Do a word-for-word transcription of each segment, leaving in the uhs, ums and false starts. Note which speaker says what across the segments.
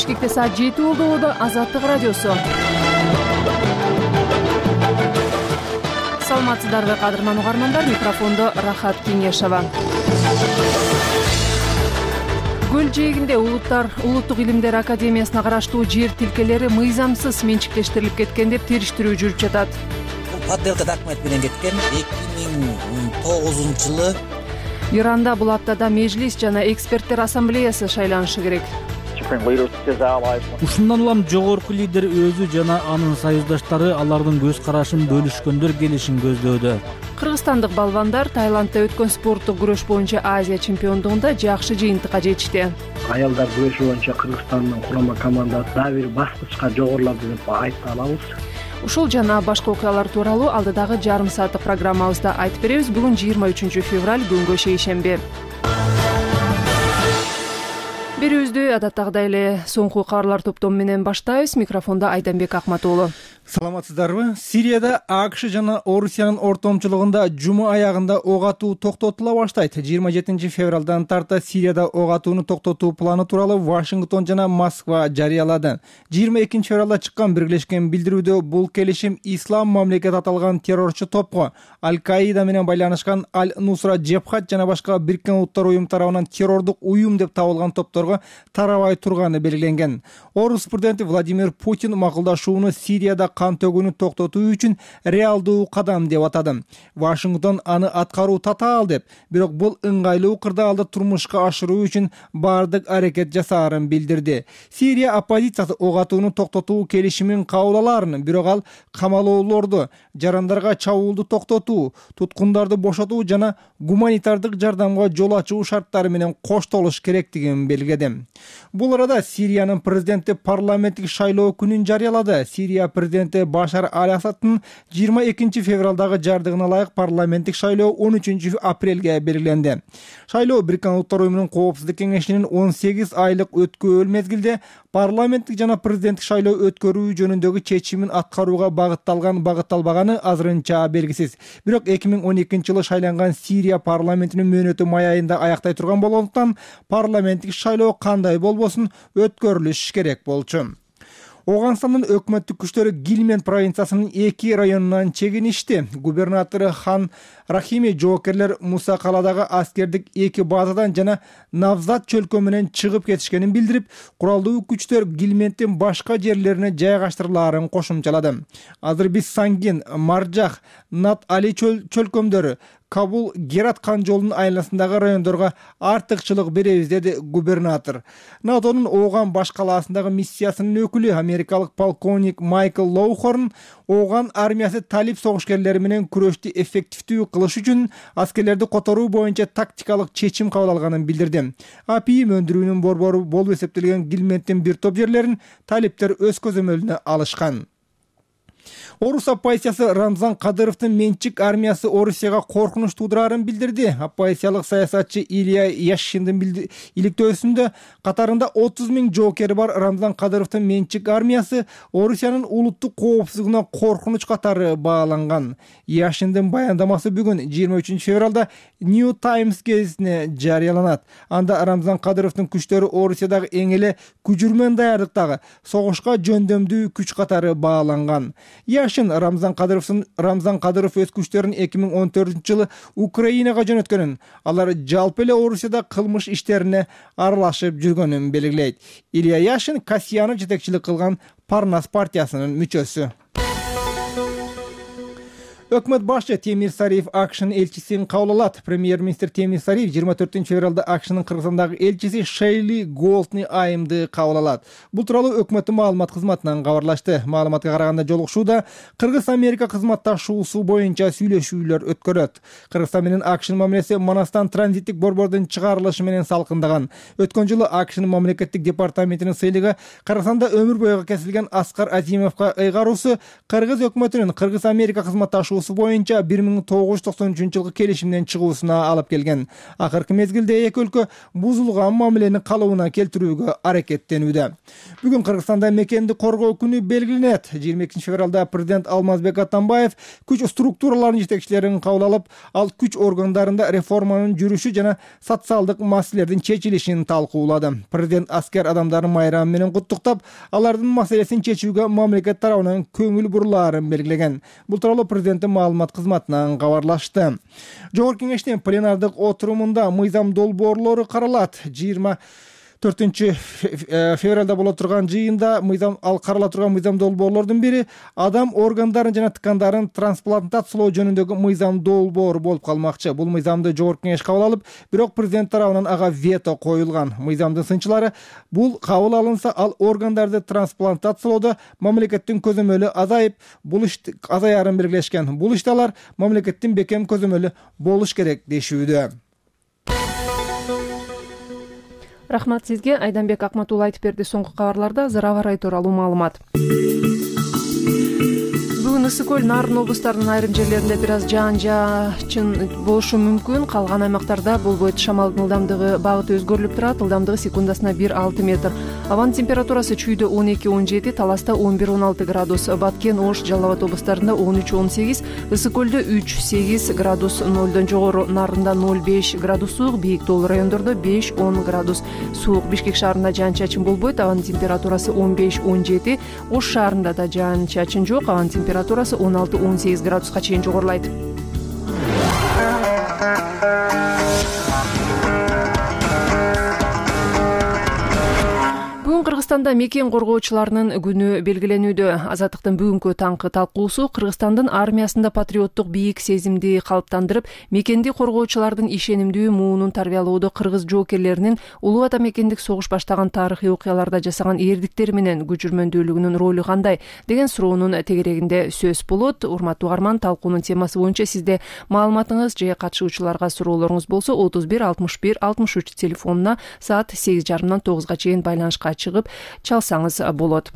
Speaker 1: Бишкекте саат жети болду. Ободо Азаттык радиосу. Саламатсыздарбы кадырман угармандар, микрофондо Рахат Кеңешова. Көл жээгинде улуттар улуттук илимдер академиясына караштуу жер тилкелери мыйзамсыз менчиктештирилип кеткен деп териштирүү жүрүп жатат.
Speaker 2: Подделка документ менен кеткен. эки миң тогузунчу жылы
Speaker 1: Иранда бул аптада межлис жана эксперттер ассамблеясы шайланышы керек.
Speaker 3: Ушундан улам жогорку лидер өзү жана анын союздаштары алардын көз карашын бөлүшкөндөр келишин көздөөдө.
Speaker 1: Кыргызстандык балбандар Таиландда өткөн спорттук күрөш боюнча Азия чемпиондугунда жакшы жыйынтыкка жетишти.
Speaker 4: Аялдар күрөшү боюнча Кыргызстандын курама командасы дагы бир баскычка жогорулады деп айта алабыз.
Speaker 1: Ушул жана башка окуялар тууралуу алдыдагы жарым сааттык программабызда айтып беребиз. Бүгүн жыйырма үчүнчү февраль, күнгө шейшемби. Берүүбүздү адаттагыдай эле соңку кабарлар топтому менен баштайбыз. Микрофондо Айданбек Акматуулу.
Speaker 5: Саламатсыздарбы? Сирияда АКШ жана Орусиянын ортомчулугунда жума аягында ок атуу токтотула баштайт. жыйырма жетинчи февралдан тарта Сирияда ок атууну токтотуу планы тууралуу Вашингтон жана Москва жарыялады. жыйырма экинчи февралда чыккан биргелешкен билдирүүдө бул келишим Ислам мамлекет аталган террорчу топко Аль-Каида менен байланышкан Аль-Нусра Джебхат жана башка Бириккен Улуттар уюму тарабынан террордук уюм деп табылган топторго тарабай турганы белгиленген. Орус президенти Владимир Путин макулдашууну Сирияда кан төгүүнү токтотуу үчүн реалдуу кадам деп атады. Вашингтон аны аткаруу татаал деп, бирок бул ыңгайлуу кырдаалды турмушка ашыруу үчүн бардык аракет жасаарын билдирди. Сирия оппозициясы ок атууну токтотуу келишимин кабыл алаарын, бирок ал камалоолорду, жарандарга чабуулду токтотуу, туткундарды бошотуу жана гуманитардык жардамга жол ачуу шарттары менен коштолуш керектигин белгиледи. Бул арада Сириянын президенти парламенттик шайлоо күнүн жарыялады. Сирия президенти Башар Аль-Асадтын жыйырма экинчи февралдагы жардыгына ылайык парламенттик шайлоо он үчүнчү апрелге белгиленди. Шайлоо Бириккен Улуттар уюмунун коопсуздук кеңешинин он сегиз айлык өткөөл мезгилде парламенттик жана президенттик шайлоо өткөрүү жөнүндөгү чечимин аткарууга багытталган багытталбаганы азырынча белгисиз. Бирок эки миң он экинчи жылы шайланган Сирия парламентинин мөөнөтү май айында аяктай турган болгондуктан парламенттик шайлоо кандай болбосун өткөрүлүш керек болчу. Оганстандын өкмөттүк күчтөрү Гилмент провинциясынын эки районунан чегиништи. Губернатору Хан Рахими жоокерлер Муса каладагы аскердик эки базадан жана Навзат чөлкө менен чыгып кетишкенин билдирип, куралдуу күчтөр Гилменттин башка жерлерине жайгаштырылаарын кошумчалады. Азыр биз Сангин, Маржах, Нат Али чөлкөмдөрү, Кабул, Герат кан жолунун айланасындагы райондорго артыкчылык беребиз, деди губернатор. НАТОнун Оган баш калаасындагы миссиясынын өкүлү америкалык полковник Майкл Лоухорн Оган армиясы талип согушкерлери менен күрөштү эффективдүү кылыш үчүн аскерлерди которуу боюнча тактикалык чечим кабыл алганын билдирди. АПИ өндүрүүнүн борбору болуп эсептелген Гилменттин бир топ жерлерин талиптер өз көзөмөлүнө алышкан. Орус оппозициясы Рамзан Кадыровдун менчик армиясы Орусияга коркунуч туудураарын билдирди. Оппозициялык саясатчы Илья Яшиндин иликтөөсүндө катарында отуз миң жоокери бар Рамзан Кадыровдун менчик армиясы Орусиянын улуттук коопсуздугуна коркунуч катары бааланган. Яшиндин баяндамасы бүгүн жыйырма үчүнчү февралда New Times гезитине жарыяланат. Анда Рамзан Кадыровдун күчтөрү Орусиядагы эң эле күжүрмөн даярдыктагы согушка жөндөмдүү күч катары бааланган. Яшин Рамзан Кадыровдун Рамзан Кадыров өз күчтөрүн эки миң он төртүнчү жылы Украинага жөнөткөнүн, алар жалпы эле Орусияда кылмыш иштерине аралашып жүргөнүн белгилейт. Илья Яшин Касьянов жетекчилик кылган Парнас партиясынын мүчөсү. Өкмөт башчы Темир Сариев АКШнын элчисин кабыл алат. Премьер-министр Темир Сариев жыйырма төртүнчү февралда АКШнын Кыргызстандагы элчиси Шейли Голдни Айымды кабыл алат. Бул тууралуу өкмөттүн маалымат кызматынан кабарлашты. Маалыматка караганда жолугушууда Кыргыз-Америка кызматташуусу боюнча сүйлөшүүлөр өткөрөт. Кыргызстан менен АКШнын мамилеси Манастан транзиттик борбордун чыгарылышы менен салкындаган. Өткөн жылы АКШнын мамлекеттик департаментинин сыйлыгы Кыргызстанда өмүр бою кесилген Аскар Азимовго ыйгаруусу Кыргыз өкмөтүнүн Кыргыз-Америка кызматташуусу курулуусу боюнча бир миң тогуз жүз токсон үчүнчү жылкы келишимден чыгуусуна алып келген. Акыркы мезгилде эки өлкө бузулган мамилени калыбына келтирүүгө аракеттенүүдө. Бүгүн Кыргызстанда мекенди коргоо күнү белгиленет. жыйырма экинчи февралда президент Алмазбек Атамбаев күч структураларынын жетекчилерин кабыл алып, ал күч органдарында реформанын жүрүшү жана социалдык маселелердин чечилишин талкуулады. Президент аскер адамдарын майрамы менен куттуктап, алардын маселесин чечүүгө мамлекет тарабынан көңүл бурулаарын белгилеген. Бул тууралуу президенттин маалымат кызматынан кабарлашты. Жогорку кеңештин пленардык отурумунда мыйзам долбоорлору каралат. жыйырма төртүнчү февралда боло турган жыйында мыйзам ал карала турган мыйзам долбоорлордун бири адам органдарын жана ткандарын трансплантациялоо жөнүндөгү мыйзам долбоору болуп калмакчы. Бул мыйзамды жогорку кеңеш кабыл алып, бирок президент тарабынан ага вето коюлган. Мыйзамдын сынчылары бул кабыл алынса, ал органдарды трансплантациялоодо мамлекеттин көзөмөлү азайып, бул иш азаярын белгилешкен. Бул иште алар мамлекеттин бекем көзөмөлү болуш керек дешүүдө.
Speaker 1: Рахмат сизге. Айданбек Акматулла айтып берди. Соңку кабарларда азыр аба ырайы тууралуу маалымат. Бүгүн Ысык көл, Нарын облустарынын айрым жерлеринде бир аз жаан-жаачын болушу мүмкүн. Калган аймактарда болбойт. Шамалдын ылдамдыгы багыты өзгөрүлүп турат. Ылдамдыгы секундасына бир алты метр. Абанын температурасы чүйдө он эки он жети, Таласта он бир он алты градус, Баткен, Ош, Жалал Абад облустарында он үч он сегиз, Ысык көлдө үч сегиз градус нолдон жогору, Нарында ноль беш градус суук, бийик тоолуу райондордо беш он градус суук. Бишкек шаарында жаан-чачын болбойт. Абанын температурасы он беш он жети, Ош шаарында да жаан-чачын жок. Абанын температурасы он алты он сегиз градуска чейин жогорулайт. Кыргызстанда мекен коргоочуларынын күнү белгиленүүдө. Азаттыктын бүгүнкү таңкы талкуусу Кыргызстандын армиясында патриоттук бийик сезимди калыптандырып, мекенди коргоочулардын ишенимдүү муунун тарбиялоодо кыргыз жоокерлеринин Улуу Ата мекендик согуш баштаган тарыхый окуяларда жасаган эрдиктери менен күчүрмөндүүлүгүнүн ролу кандай деген суроонун тегерегинде сөз болот. Урматтуу угарман, талкуунун темасы боюнча сизде маалыматыңыз же катышуучуларга суроолоруңуз болсо отуз бир алтымыш бир алтымыш үч телефонуна саат сегиз жарымдан тогузга чейин байланышка чыгып чалсаңыз болот.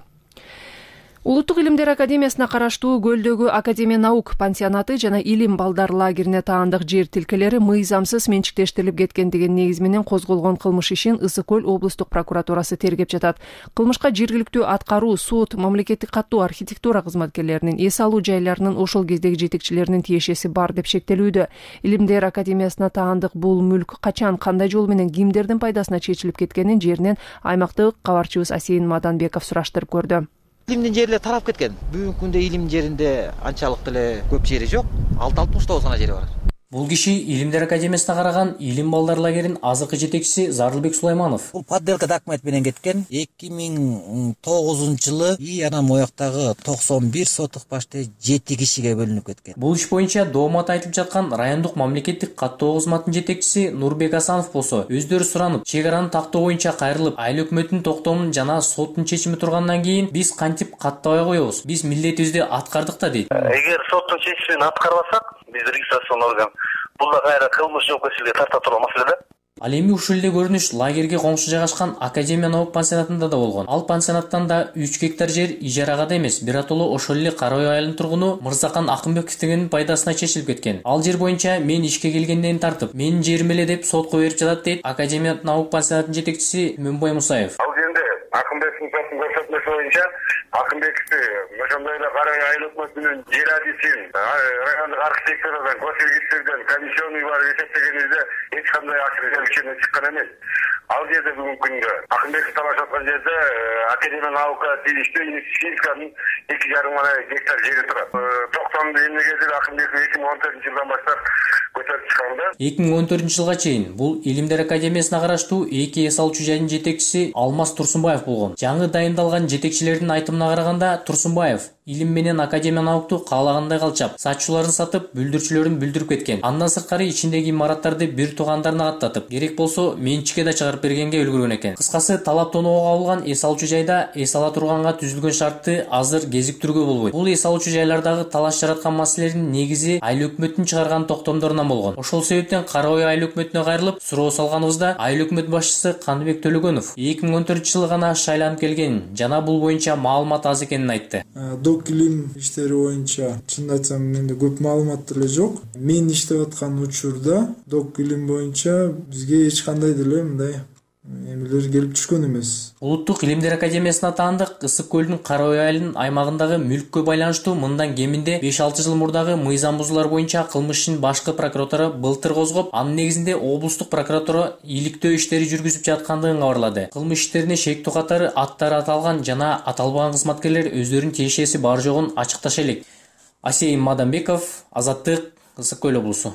Speaker 1: Улуттук илимдер академиясына караштуу Көлдөгү Академия наук пансионаты жана илим балдар лагерине таандык жер тилкелери мыйзамсыз менчиктештирилип кеткен деген негиз менен козголгон кылмыш ишин Ысык көл облустук прокуратурасы тергеп жатат. Кылмышка жергиликтүү аткаруу, суд, мамлекеттик каттуу архитектура кызматкерлеринин, эс алуу жайларынын ошол кездеги жетекчилеринин тиешеси бар деп шектелүүдө. Илимдер академиясына таандык бул мүлк качан, кандай жол менен, кимдердин пайдасына чечилип кеткенин жеринен аймактык кабарчыбыз Асейин Маданбеков сураштырып көрдү.
Speaker 2: Илимдин жерлери тарап кеткен. Бүгүнкү күндө илим жеринде анчалык деле көп жери жок. алты алтымыш тогуз гана жери бар.
Speaker 6: Бул киши Илимдер академиясына караган илим балдар лагеринин азыркы жетекчиси Зарылбек Сулайманов.
Speaker 2: Бул подделка документ менен кеткен. эки миң тогузунчу жылы и анан мояктагы токсон бир сотук башты жети кишиге бөлүнүп кеткен.
Speaker 6: Бул иш боюнча доомат айтылып жаткан райондук мамлекеттик каттоо кызматынын жетекчиси Нурбек Асанов болсо, өздөрү суранып, чек араны тактоо боюнча кайрылып, айыл өкмөттүн токтомунун жана соттун чечими тургандан кийин биз кантип каттабай коебуз? Биз милдетибизди аткардык да дейт.
Speaker 7: Эгер соттун чечимин аткарбасак, биз регистрацион орган бул да кайра кылмыш жоопкерчиликке тарта турган маселе да.
Speaker 6: Ал эми ушул эле көрүнүш лагерге коңшу жайгашкан Академия наук пансионатында да болгон. Ал пансионаттан да үч гектар жер ижарага да эмес, биротоло ошол эле Кара ой айылынын тургуну Мырзакан Акымбековдин пайдасына чечилип кеткен. Ал жер боюнча мен ишке келгенден тартып, менин жерим эле деп сотко берип жатат дейт Академия наук пансионатынын жетекчиси Мөнбой Мусаев.
Speaker 7: Ал жерде Акымбековдин соттун көрсөтмөсү боюнча Акымбековду ошондой эле Кара ой айыл өкмөтүнүн жер адисин райондук архитектурадан, госрегистрден комиссионный бар эсептегенибизде эч кандай акча чыккан эмес. Ал жерде бүгүнкү күндө Акымбеков талашып аткан жерде Академия наука тийиштүү инвестициянын эки жарым гектар жери турат. Токтомду эмнегедир Акымбеков эки миң он төртүнчү жылдан баштап көтөрүп чыкканда.
Speaker 6: эки миң он төртүнчү жылга чейин бул Илимдер академиясына караштуу эки эс алуучу жайдын жетекчиси Алмаз Турсунбаев болгон. Жаңы дайындалган жетекчилердин айтымына караганда, Турсунбаев илим менен Академия наукту каалагандай калчап, сатчуларын сатып, бүлдүрчүлөрүн бүлдүрүп кеткен. Андан сырткары ичиндеги имараттарды бир туугандарына каттатып, керек болсо менчикке да чыгарып бергенге үлгүргөн экен. Кыскасы, талап тоноого кабылган эс алуучу жайда эс ала турганга түзүлгөн шартты азыр кезиктирүүгө болбойт. Бул эс алуучу жайлардагы талаш жараткан маселелердин негизи айыл өкмөттүн чыгарган токтомдорунан болгон. Ошол себептен Кара ой айыл өкмөтүнө кайрылып, суроо салганыбызда айыл өкмөт башчысы Кандыбек Төлөгөнов эки миң он төртүнчү жылы гана шайланып келген жана бул боюнча маалымат аз экенин айтты.
Speaker 8: До док илим иштери боюнча чынын айтсам менде көп маалымат деле жок. Мен иштеп аткан учурда док илим боюнча бизге эч кандай деле мындай эмелер келип түшкөн эмес.
Speaker 6: Улуттук илимдер академиясына таандык Ысык көлдүн Кара Ой айылынын аймагындагы мүлккө байланыштуу мындан кеминде беш алты жыл мурдагы мыйзам бузуулар боюнча кылмыш ишин башкы прокуратура былтыр козгоп, анын негизинде облустук прокуратура иликтөө иштери жүргүзүп жаткандыгын кабарлады. Кылмыш иштерине шектүү катары аттары аталган жана аталбаган кызматкерлер өздөрүнүн тиешеси бар жогун ачыкташа элек. Асейин Мадамбеков, Азаттык, Ысык көл облусу.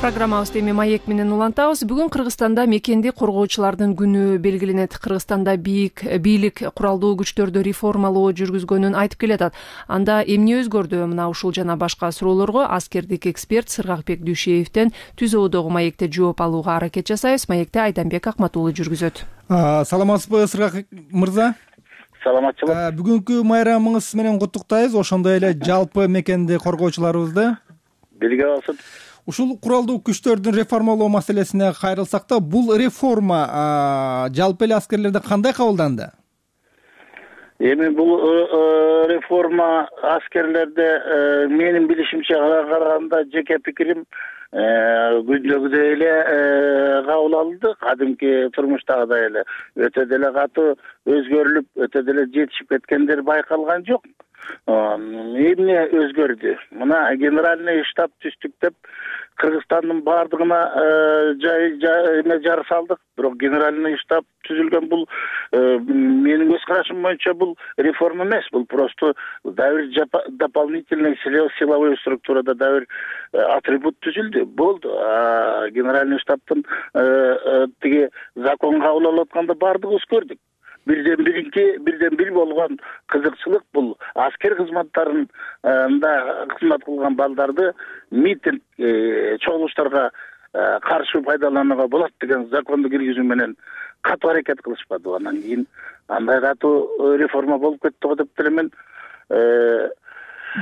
Speaker 1: Программабызды эми маек менен улантабыз. Бүгүн Кыргызстанда мекенди коргоочулардын күнү белгиленет. Кыргызстанда бийик бийлик куралдуу күчтөрдү реформалоо жүргүзгөнүн айтып келатат. Анда эмне өзгөрдү? Мына ушул жана башка суроолорго аскердик эксперт Сыргакбек Дүйшеевден түз оодогу маекте жооп алууга аракет жасайбыз. Маекте Айданбек Акматуулу жүргүзөт.
Speaker 5: Саламатсызбы, Сыргакбек мырза?
Speaker 9: Саламатчылык.
Speaker 5: Бүгүнкү майрамыңыз менен куттуктайбыз. Ошондой эле жалпы мекенди коргоочуларыбызды.
Speaker 9: Бирге болсун.
Speaker 5: Ушул куралдуу күчтөрдүн реформалоо маселесине кайрылсак да, бул реформа жалпы эле аскерлерде кандай кабылданды?
Speaker 9: Эми бул реформа аскерлерде менин билишимче караганда жеке пикирим күндөгүдөй эле кабыл алынды. Кадимки турмуштагыдай эле өтө деле катуу өзгөрүлүп, өтө деле жетишип кеткендер байкалган жок. Эмне өзгөрдү? Мына генеральный штаб түздүк деп Кыргызстандын бардыгына жай эме жар салдык. Бирок генеральный штаб түзүлгөн бул менин көз карашым боюнча бул реформа эмес, бул просто дабир дополнительный силовой структурада дабир атрибут түзүлдү. Болду. Генеральный штабтын тиги закон кабыл алып атканда бардыгыбыз көрдүк. Бирден биринки, бирден бир болгон кызыкчылык бул аскер кызматтарында кызмат кылган балдарды митинг чогулуштарга каршы пайдаланууга болот деген законду киргизүү менен катуу аракет кылышпады. Анан кийин андай катуу реформа болуп кетти го деп делемен.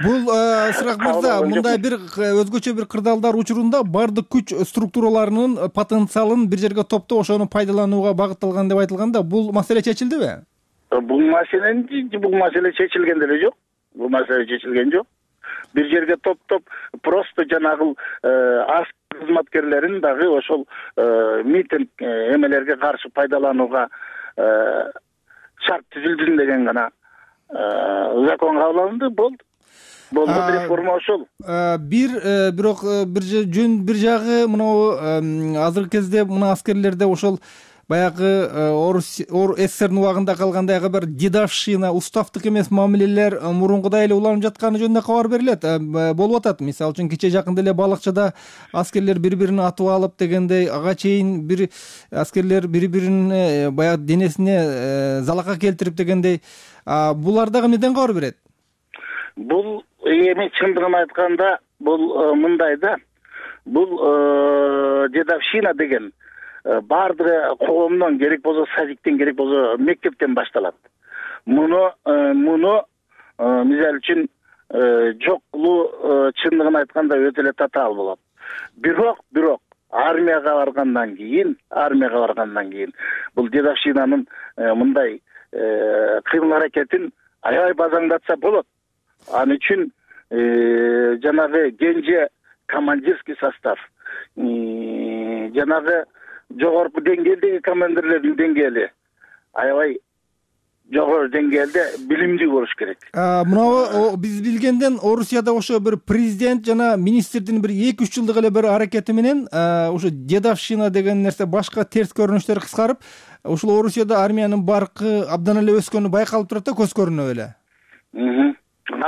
Speaker 5: Бул Сыргак мырза, мындай бир өзгөчө бир кырдаалдар учурунда бардык күч структураларынын потенциалын бир жерге топтоп, ошону пайдаланууга багытталган деп айтылганда, бул маселе чечилдиби?
Speaker 9: Бул маселе бул маселе чечилген деле жок. Бул маселе чечилген жок. Бир жерге топтоп, просто жанагы аскер кызматкерлерин дагы ошол митинг эмелерге каршы пайдаланууга шарт түзүлдү деген гана закон кабыл алынды, болду. Болду реформа ошол.
Speaker 5: Бир бирок бир жөн бир жагы мына азыркы кезде мына аскерлерде ошол баягы СССРдин убагында калгандайгы бир дедовщина, уставдык эмес мамилелер мурункудай эле уланып жатканы жөнүндө кабар берилет. Болуп атат. Мисалы үчүн кече жакында эле Балакчада аскерлер бири-бирин атып алып дегендей, ага чейин бир аскерлер бири-бирин баягы денесине залака келтирип дегендей, булар дагы эмнеден кабар берет?
Speaker 9: Бул эми чындыгын айтканда бул мындай да, бул дедовщина деген бардыгы коомдон, керек болсо садиктен, керек болсо мектептен башталат. Муну муну мисалы үчүн жок кылуу чындыгын айтканда өтө эле татаал болот. Бирок, бирок армияга баргандан кийин, армияга баргандан кийин бул дедовщинанын мындай кыймыл аракетин аябай базаңдатса болот. Аны үчүн жанагы кенже командирский состав, жанагы жогорку деңгээлдеги командирлердин деңгээли аябай жогору деңгээлде билимдүү болуш керек.
Speaker 5: Мына биз билгенден Орусияда ошо бир президент жана министрдин бир эки үч жылдык эле бир аракети менен ошо дедовщина деген нерсе башка терс көрүнүштөр кыскарып, ушул Орусияда армиянын баркы абдан эле өскөнү байкалып турат да, көз көрүнүп эле.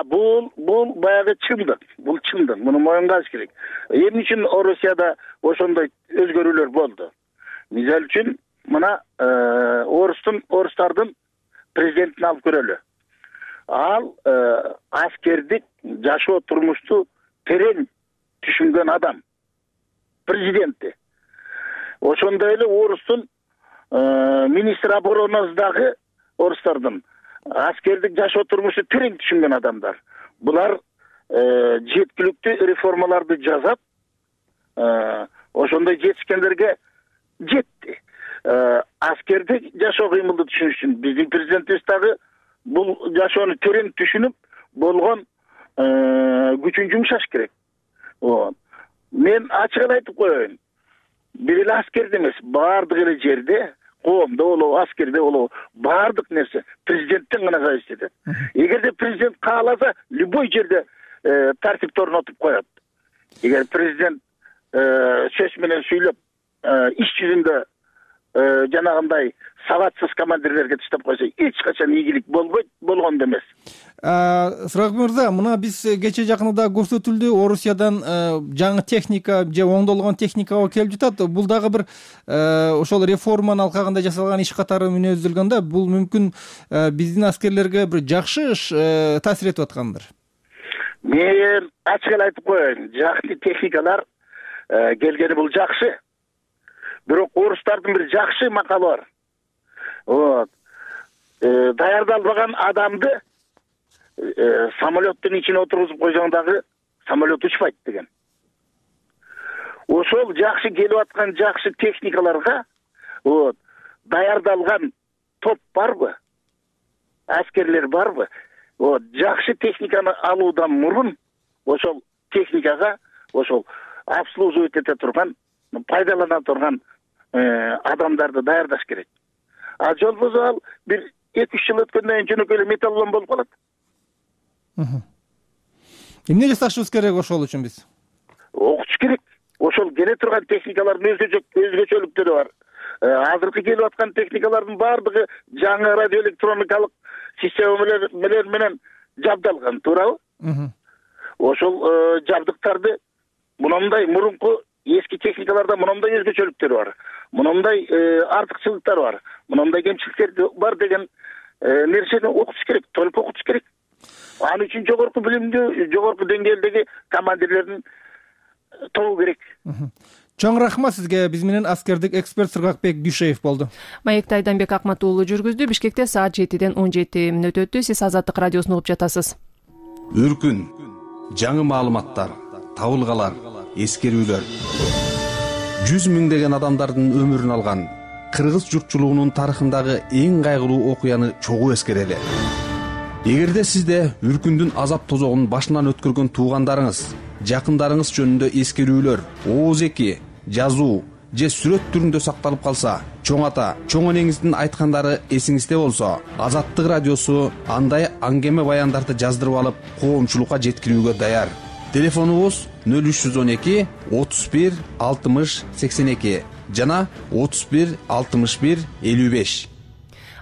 Speaker 9: Бул бул баягы чындык, бул чындык. Муну моюнга алыш керек. Эмне үчүн Орусияда ошондой өзгөрүүлөр болду? Мисалы үчүн мына орустун орустардын президентин алып көрөлү. Ал аскердик жашоо турмушту терең түшүнгөн адам. Президенти. Ошондой эле орустун министр оборонасындагы орустардын аскердик жашоо турмушту терең түшүнгөн адамдар. Булар жеткиликтүү реформаларды жасап, ошондой жетишкендерге жетти. аскерде жашоо кыймылды түшүнүш үчүн биздин президентибиз дагы бул жашоону терең түшүнүп болгон күчүн жумшаш керек. Мен ачык эле айтып коеюн. Бир эле аскерде эмес, баардык эле жерде, коомдо болобу, аскерде болобу, баардык нерсе президенттен гана зависит этет. Эгерде президент кааласа, любой жерде тартипти орнотуп коет. Эгер президент сөз менен сүйлөп, иш жүзүндө жанагындай сабатсыз командирлерге таштап койсо, эч качан ийгилик болбойт, болгон да эмес.
Speaker 5: Сырак мырза, мына биз кече жакында көрсөтүлдү, Орусиядан жаңы техника же оңдолгон техника келип жатат. Бул дагы бир ошол реформанын алкагында жасалган иш катары мүнөздөлгөн да. Бул мүмкүн биздин аскерлерге бир жакшы таасир этип аткандыр.
Speaker 9: Мен ачык эле айтып коеюн, жакшы техникалар келгени бул жакшы. Бирок орустардын бир жакшы макалы бар. Вот. Даярдалбаган адамды самолеттин ичине отургузуп койсоң дагы самолет учпайт деген. Ошол жакшы келип аткан жакшы техникаларга вот даярдалган топ барбы? Аскерлер барбы? Вот жакшы техниканы алуудан мурун ошол техникага ошол обслуживать эте турган, пайдалана турган адамдарды даярдаш керек. А жолбосо ал бир эки үч жыл өткөндөн кийин жөнөкөй эле металлолом болуп калат.
Speaker 5: Эмне жасашыбыз керек ошол үчүн биз?
Speaker 9: Окутуш керек. Ошол келе турган техникалардын өзгөчөлүктөрү бар. Азыркы келип аткан техникалардын баардыгы жаңы радиоэлектроникалык системалар менен жабдалган, туурабы? Ошол жабдыктарды мындай мурунку эски техникаларда мындай өзгөчөлүктөр бар. Мындай артыкчылыктар бар. Мындай кемчиликтер бар деген нерсени окутуш керек, толук окутуш керек. Ал үчүн жогорку билимдүү, жогорку деңгээлдеги командирлердин тобу керек.
Speaker 5: Чоң рахмат сизге. Биз менен аскердик эксперт Сыргакбек Дүйшеев болду.
Speaker 1: Маекти Айданбек Акмат уулу жүргүздү. Бишкекте саат жетиден он жети мүнөт өттү. Сиз Азаттык радиосун угуп жатасыз.
Speaker 10: Үркүн, жаңы маалыматтар, табылгалар, эскерүүлөр. Жүз миңдеген адамдардын өмүрүн алган кыргыз журтчулугунун тарыхындагы эң кайгылуу окуяны чогуу эскерели. Эгерде сизде үркүндүн азап тозогун башынан өткөргөн туугандарыңыз, жакындарыңыз жөнүндө эскерүүлөр, ооз эки, жазуу же сүрөт түрүндө сакталып калса, чоң ата, чоң энеңиздин айткандары эсиңизде болсо, Азаттык радиосу андай аңгеме баяндарды жаздырып алып, коомчулукка жеткирүүгө даяр. Телефонубуз нөл үч жүз он эки отуз бир алтымыш сексен эки жана отуз бир алтымыш бир элүү беш.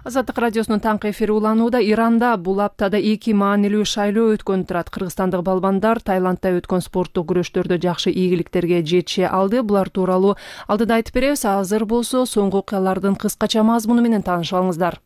Speaker 1: Азаттык радиосунун таңкы эфири уланууда. Иранда бул аптада эки маанилүү шайлоо өткөн турат. Кыргызстандык балбандар Таиландда өткөн спорттук күрөштөрдө жакшы ийгиликтерге жете алды. Булар тууралуу алдыда айтып беребиз. Азыр болсо соңку окуялардын кыскача мазмуну менен таанышып алыңыздар.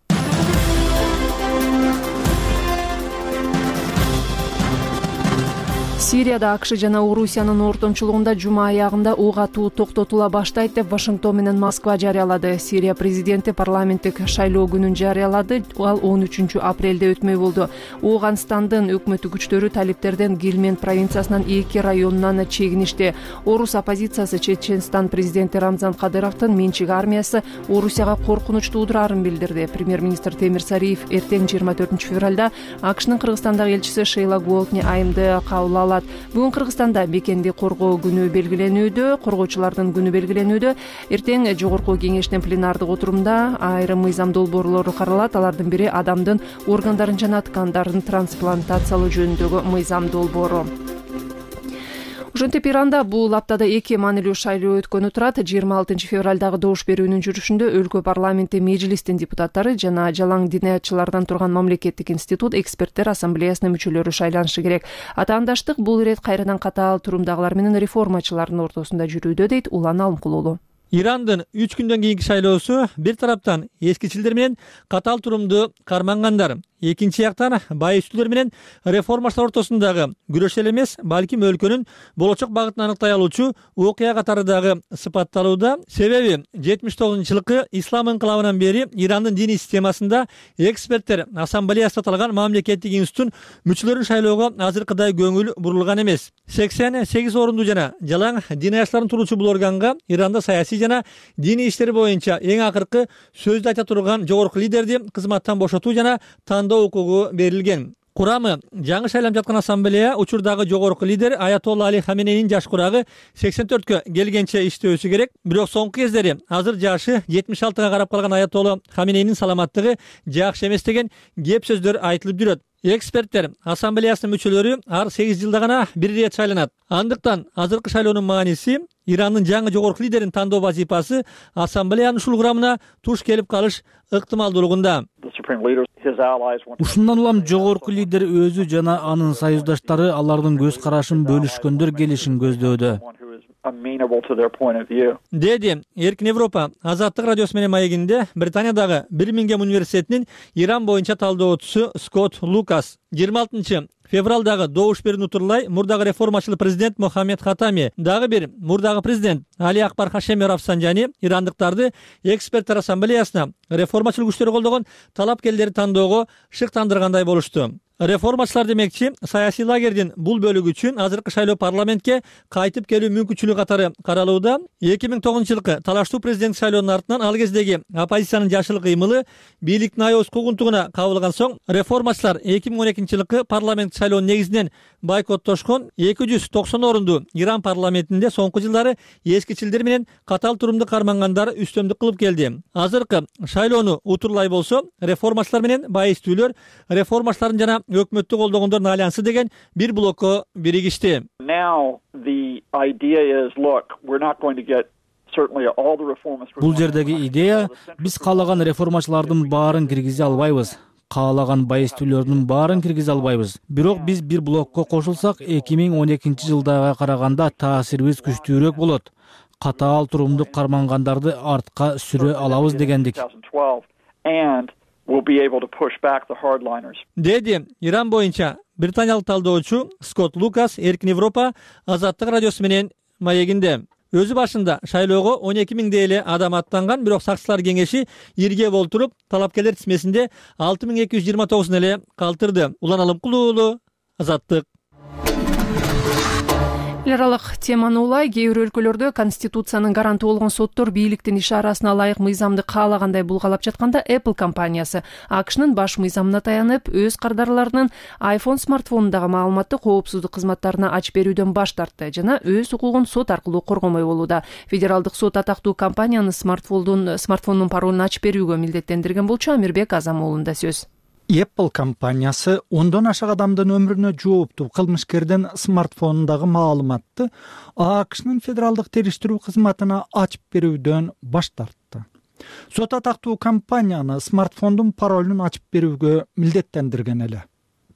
Speaker 1: Сирияда АКШ жана Орусиянын ортомчулугунда жума аягында ок атуу токтотула баштайт деп Вашингтон менен Москва жарыялады. Сирия президенти парламенттик шайлоо күнүн жарыялады. Ал он үчүнчү апрелде өтмөй болду. Ооганстандын өкмөттүк күчтөрү талиптерден Гельмент провинциясынын эки районунан чегиништи. Орус оппозициясы Чеченстан президенти Рамзан Кадыровдун менчик армиясы Орусияга коркунуч туудурарын билдирди. Премьер-министр Темир Сариев эртең жыйырма төртүнчү февралда АКШнын Кыргызстандагы элчиси Шейла Голдни айымды кабыл алат. Бүгүн Кыргызстанда бекенди коргоо күнү белгиленүүдө, коргоочулардын күнү белгиленүүдө. Эртең жогорку кеңештин пленардык отурумда айрым мыйзам долбоорлору каралат. Алардын бири адамдын органдарын жана ткандарын трансплантациялоо жөнүндөгү мыйзам долбоору. Ошентип Иранда бул аптада эки маанилүү шайлоо өткөнү турат. жыйырма алтынчы февралдагы добуш берүүнүн жүрүшүндө өлкө парламенти межлистин депутаттары жана жалаң диниятчылардан турган мамлекеттик институт эксперттер ассамблеясынын мүчөлөрү шайланышы керек. Атаандаштык бул ирет кайрадан катаал турумдагылар менен реформачылардын ортосунда жүрүүдө, дейт Улан Алымкулуулу.
Speaker 11: Ирандын үч күндөн кийинки шайлоосу бир тараптан эскичилдер менен катаал турумду кармангандар, экинчи жактан байыстуулар менен реформачылар ортосундагы күрөш эле эмес, балким өлкөнүн болочок багытын аныктай алуучу окуя катары дагы сыпатталууда. Себеби жетимиш тогузунчу жылкы ислам инкылабынан бери Ирандын диний системасында эксперттер ассамблеясында аталган мамлекеттик институттун мүчөлөрүн шайлоого азыркыдай көңүл бурулган эмес. сексен сегиз орунду жана жалаң дин аяштарын туруучу бул органга Иранда саясий жана диний иштер боюнча эң акыркы сөздү айта турган жогорку лидерди кызматтан бошотуу жана тандоо укугу берилген. Курамы жаңы шайланып жаткан ассамблея учурдагы жогорку лидер Аятолла Али Хаменейнин жаш курагы сексен төрткө келгенче иштөөсү керек. Бирок соңку кездери азыр жашы жетимиш алтыга карап калган Аятолла Хаменейнин саламаттыгы жакшы эмес деген кеп сөздөр айтылып жүрөт. Эксперттер ассамблеясынын мүчөлөрү ар сегиз жылда гана бир ирет шайланат. Андыктан азыркы шайлоонун мааниси Ирандын жаңы жогорку лидерин тандоо вазифасы ассамблеянын ушул курамына туш келип калыш ыктымалдуулугунда.
Speaker 3: Ушундан улам жогорку лидер өзү жана анын союздаштары алардын көз карашын бөлүшкөндөр келишин көздөдө.
Speaker 11: Деди Эркин Европа Азаттык радиосу менен маегинде Британиядагы Бирмингем университетинин Иран боюнча талдоочусу Скотт Лукас. жыйырма алтынчы февралдагы добуш берүүнү утурлай мурдагы реформачыл президент Мохаммед Хатами, дагы бир мурдагы президент Али Акбар Хашеми Рафсанжани ирандыктарды эксперттер ассамблеясына реформачыл күчтөр колдогон талапкерлерди тандоого шыктандыргандай болушту. Реформачылар демекчи саясий лагердин бул бөлүгү үчүн азыркы шайлоо парламентке кайтып келүү мүмкүнчүлүгү катары каралууда. эки миң тогузунчу жылкы талаштуу президенттик шайлоонун артынан ал кездеги оппозициянын жашыл кыймылы бийликтин аябыз куугунтугуна кабылган соң реформачылар эки миң он экинчи жылкы парламенттик шайлоонун негизинен бойкоттошкон эки жүз токсон орунду Иран парламентинде соңку жылдары эскичилдер менен катал турумду кармангандар үстөмдүк кылып келди. Азыркы шайлоону утурлай болсо реформачылар менен байыстүүлөр реформачылардын жана өкмөттү колдогондордун альянсы деген бир блокко биригишти.
Speaker 3: Бул жердеги идея биз каалаган реформачылардын баарын киргизе албайбыз. Каалаган байыстүүлөрдүн баарын киргизе албайбыз. Бирок биз бир блокко кошулсак эки миң он экинчи жылдага караганда таасирибиз күчтүүрөөк болот. Катаал турумду кармангандарды артка сүрө алабыз дегендик.
Speaker 11: Деди Иран боюнча британиялык талдоочу Скотт Лукас Эркин Европа Азаттык радиосу менен маегинде. Өзү башында шайлоого он эки миңдей эле адам аттанган, бирок сакчылар кеңеши ирге болтуруп талапкерлер тизмесинде алты миң эки жүз жыйырма тогузун эле калтырды. Улан Алымкулуу уулу, Азаттык.
Speaker 1: Эл аралык теманы улай, кээ бир өлкөлөрдө конституциянын гаранты болгон соттор бийликтин иш арасына ылайык мыйзамды каалагандай булгалап жатканда Apple компаниясы АКШнын баш мыйзамына таянып, өз кардарларынын iPhone смартфонундагы маалыматты коопсуздук кызматтарына ачып берүүдөн баш тартты жана өз укугун сот аркылуу коргомой болууда. Федералдык сот атактуу компанияны смартфондун смартфонунун паролун ачып берүүгө милдеттендирген болчу. Амирбек Азам уулунда сөз.
Speaker 5: Apple компаниясы ондон ашык адамдын өмүрүнө жооптуу кылмышкердин смартфонундагы маалыматты АКШнын федералдык териштирүү кызматына ачып берүүдөн баш тартты. Сот атактуу компанияны смартфондун паролун ачып берүүгө милдеттендирген эле.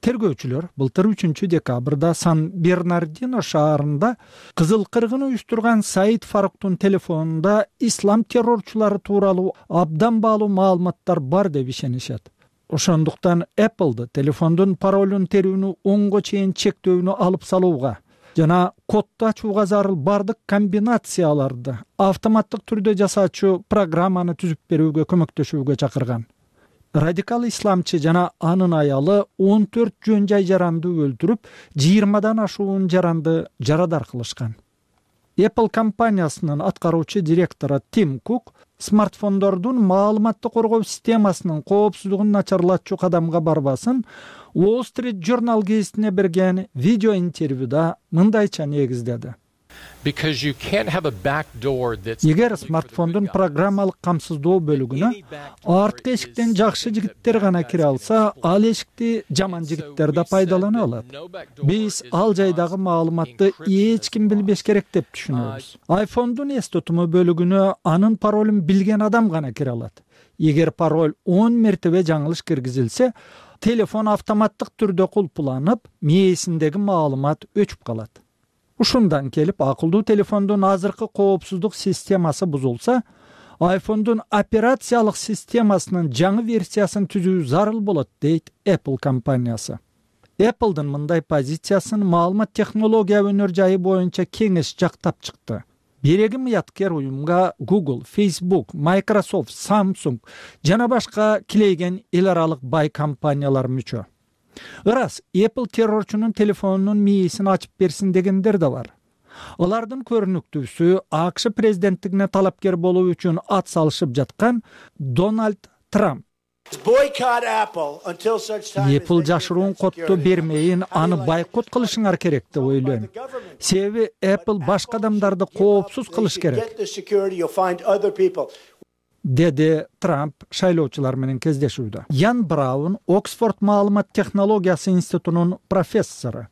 Speaker 5: Тергөөчүлөр былтыр үчүнчү декабрда Сан-Бернардино шаарында кызыл кыргын уюштурган Саид Фаруктун телефонунда ислам террорчулары тууралуу абдан баалуу маалыматтар бар деп ишенишет. Ошондуктан Apple'ды телефондун паролун терүүнү онго чейин чектөөнү алып салууга жана кодду ачууга зарыл бардык комбинацияларды автоматтык түрдө жасаачу программаны түзүп берүүгө көмөктөшүүгө чакырган. Радикал исламчы жана анын аялы он төрт жөн жай жаранды өлтүрүп, жыйырмадан ашуун жаранды жарадар кылышкан. Apple компаниясынын аткаруучу директору Тим Кук смартфондордун маалыматты коргоо системасынын коопсуздугун начарлатчу кадамга барбасын Wall Street Journal гезитине берген видео интервьюда мындайча негиздеди. Эгер смартфондун программалык камсыздоо бөлүгүнө арткы эшиктен жакшы жигиттер гана кире алса, ал эшикти жаман жигиттер да пайдалана алат. Биз ал жайдагы маалыматты эч ким билбеш керек деп түшүнөбүз. iPhone'дун эс тутуму бөлүгүнө анын паролун билген адам гана кире алат. Эгер пароль он мертебе жаңылыш киргизилсе, телефон автоматтык түрдө кулпуланып, мээсиндеги маалымат өчүп калат. Ушундан келип, акылдуу телефондун азыркы коопсуздук системасы бузулса,
Speaker 12: айфондун операциялык системасынын жаңы версиясын түзүү зарыл болот, дейт Apple компаниясы. Apple'дын мындай позициясын маалымат технология өнөр жайы боюнча кеңеш жактап чыкты. Береги мыяткер уюмга Google, Facebook, Microsoft, Samsung жана башка килейген эл аралык бай компаниялар мүчө. Ырас, Apple террорчунун телефонунун мээсин ачып берсин дегендер да бар. Алардын көрүнүктүүсү АКШ президенттигине талапкер болуу үчүн ат салышып жаткан Дональд Трамп. Apple жашыруун котту бермейин, аны байкот кылышыңар керек деп ойлойм. Себеби Apple башка адамдарды коопсуз кылыш керек, деди Трамп шайлоочулар менен кездешүүдө. Ян Браун, Оксфорд маалымат технологиясы институтунун профессору.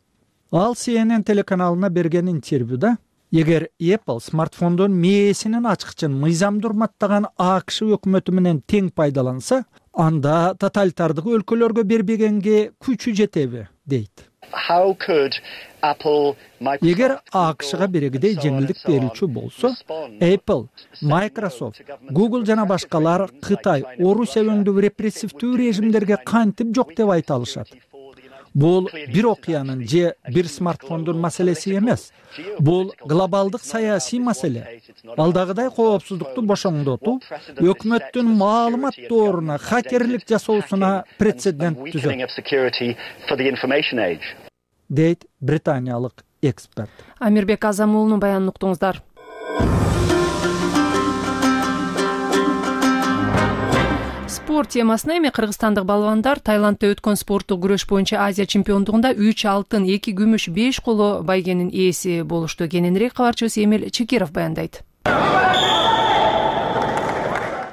Speaker 12: Ал си эн эн телеканалына берген интервьюда, эгер Apple смартфондун мээсинин ачкычын мыйзамды урматтаган АКШ өкмөтү менен тең пайдаланса, анда тоталитардык өлкөлөргө бербегенге күчү жетеби, дейт. Эгер АКШга берегидей жеңилдик берүүчү болсо, Apple, Microsoft, Google жана башкалар Кытай, Орусия өндү репрессивдүү режимдерге кантип жок деп айта алышат? Бул бир окуянын же бир смартфондун маселеси эмес. Бул глобалдык саясий маселе. Алдагыдай коопсуздукту бошоңдотуу өкмөттүн маалымат дооруна хакерлик жасоосуна прецедент түзөт, дейт британиялык эксперт.
Speaker 1: Амирбек Азамуулунун баянын уктуңуздар. Спорт темасына эми кыргызстандык балбандар Таиландда өткөн спорттук күрөш боюнча Азия чемпиондугунда үч алтын, эки күмүш, беш коло байгенин ээси болушту. Кененирээк кабарчыбыз Эмил Чекиров баяндайт.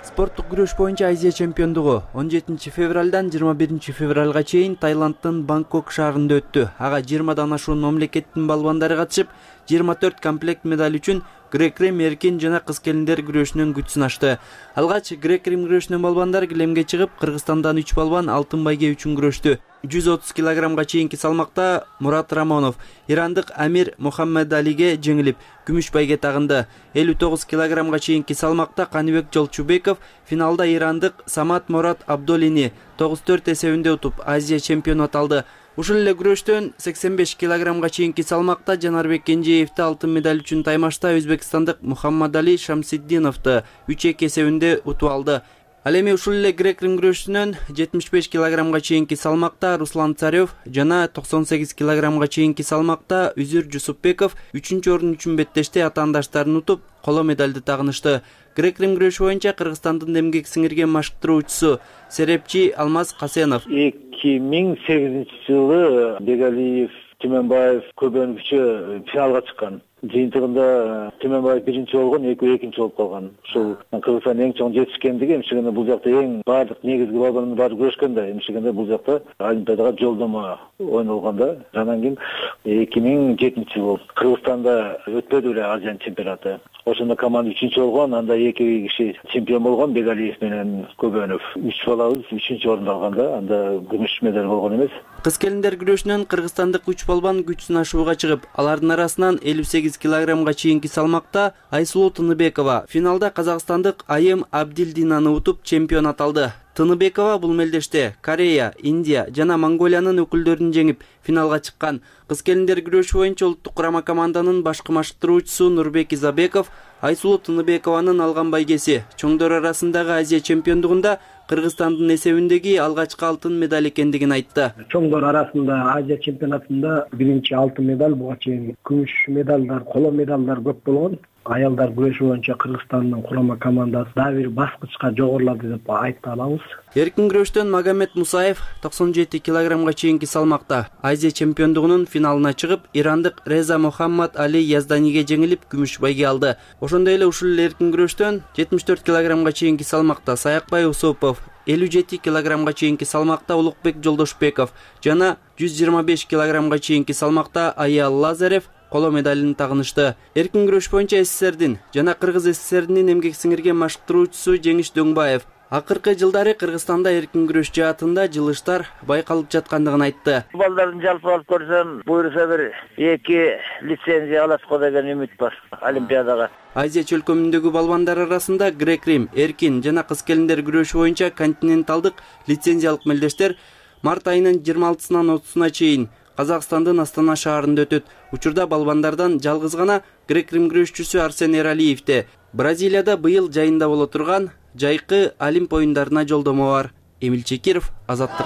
Speaker 13: Спорттук күрөш боюнча Азия чемпиондугу он жетинчи февралдан жыйырма биринчи февралга чейин Таиланддын Бангкок шаарында өттү. Ага жыйырмадан ашуун мамлекеттин балбандары катышып, жыйырма төрт комплект медаль үчүн грек-рим эркин жана кыз келиндер күрөшүнүн күч сынашты. Алгач грек-рим күрөшүнүн балбандар килемге чыгып, Кыргызстандан үч балбан алтын байге үчүн күрөштү. жүз отуз килограммга чейинки салмакта Мурат Рамонов ирандык Амир Мухаммедалиге жеңилип, күмүш байге тагынды. элүү тогуз килограммга чейинки салмакта Каныбек Жолчубеков финалда ирандык Самат Мурат Абдолини тогуз төрт эсебинде утуп, Азия чемпиону аталды. Ушул эле күрөштөн сексен беш килограммга чейинки салмакта Жанарбек Кенжеевди алтын медаль үчүн таймашта өзбекстандык Мухаммадали Шамсиддиновду үч эки эсебинде утуп алды. Ал эми ушул эле грек-рим күрөшүнөн жетимиш беш килограммга чейинки салмакта Руслан Царев жана токсон сегиз килограммга чейинки салмакта Үзүр Жусупбеков үчүнчү орун үчүн беттеште атаандаштарын утуп, коло медальды тагынышты. Грек-рим күрөшү боюнча Кыргызстандын эмгек сиңирген машыктыруучусу Серепчи Алмаз Касенов.
Speaker 14: эки миң сегизинчи жылы Бегалиев, Түймөнбаев көбөнүкчө финалга чыккан. Жыйынтыгында Түймөнбаев биринчи болгон, экөө экинчи болуп калган. Ушул Кыргызстандын эң чоң жетишкендиги эмчегенде бул жакта эң баардык негизги балбандын баары күрөшкөн да, эмчегенде бул жакта Олимпиадага жолдомо ойнолгондо. Анан кийин эки миң жетинчи жыл Кыргызстанда өтпөдү эле Азия чемпионаты. Ошондо команда үчүнчү болгон, анда эки киши чемпион болгон, Бегалиев менен Көбөнов. Үч балабыз үчүнчү орунду алганда, анда күмүш медаль болгон эмес.
Speaker 13: Кыз келиндер күрөшүнөн кыргызстандык үч балбан күч сынашууга чыгып, алардын арасынан элүү сегиз килограммга чейинки салмакта Айсулуу Тыныбекова финалда казакстандык Айым Абдилдинаны утуп чемпион аталды. Тыныбекова бул мелдеште Корея, Индия жана Монголиянын өкүлдөрүн жеңип финалга чыккан. Кыз келиндер күрөшү боюнча улуттук курама команданын башкы машыктыруучусу Нурбек Изабеков Айсулуу Тыныбекованын алган байгеси чоңдор арасындагы Азия чемпиондугунда Кыргызстандын эсебиндеги алгачкы алтын медаль экендигин айтты.
Speaker 4: Чоңдор арасында Азия чемпионатында биринчи алтын медаль, буга чейин күмүш медалдар, коло медалдар көп болгон. Аялдар күрөшү боюнча Кыргызстандын курама командасы дагы бир баскычка жогорулады деп айта алабыз.
Speaker 13: Эркин күрөштөн Магомед Мусаев токсон жети килограммга чейинки салмакта Азия чемпиондугунун финалына чыгып, ирандык Реза Мухаммад Али Язданиге жеңилип, күмүш байге алды. Ошондой эле ушул эле эркин күрөштөн жетимиш төрт килограммга чейинки салмакта Саякбай Усупов, элүү жети килограммга чейинки салмакта Улукбек Жолдошбеков жана жүз жыйырма беш килограммга чейинки салмакта Аял Лазарев коло медалын тагынышты. Эркин күрөш боюнча СССРдин жана Кыргыз СССРдин эмгек сиңирген машыктыруучусу Жеңиш Дөңбаев Акыркы жылдары Кыргызстанда эркин күрөш жаатында жылыштар байкалып жаткандыгын айтты.
Speaker 9: Балдардын жалпы алып көрсөм, буюрса бир эки лицензия алат го деген үмүт бар Олимпиадага.
Speaker 13: Азия чөлкөмүндөгү балбандар арасында грек-рим, эркин жана кыз-келиндер күрөшү боюнча континенталдык лицензиялык мелдештер март айынын жыйырма алтысынан отузуна чейин Казакстандын Астана шаарында өтөт. Учурда балбандардан жалгыз гана грек-рим күрөшчүсү Арсен Эралиевде Бразилияда быйыл жайында боло турган жайкы Олимп оюндарына жолдомо бар. Эмил Чекиров, Азаттык.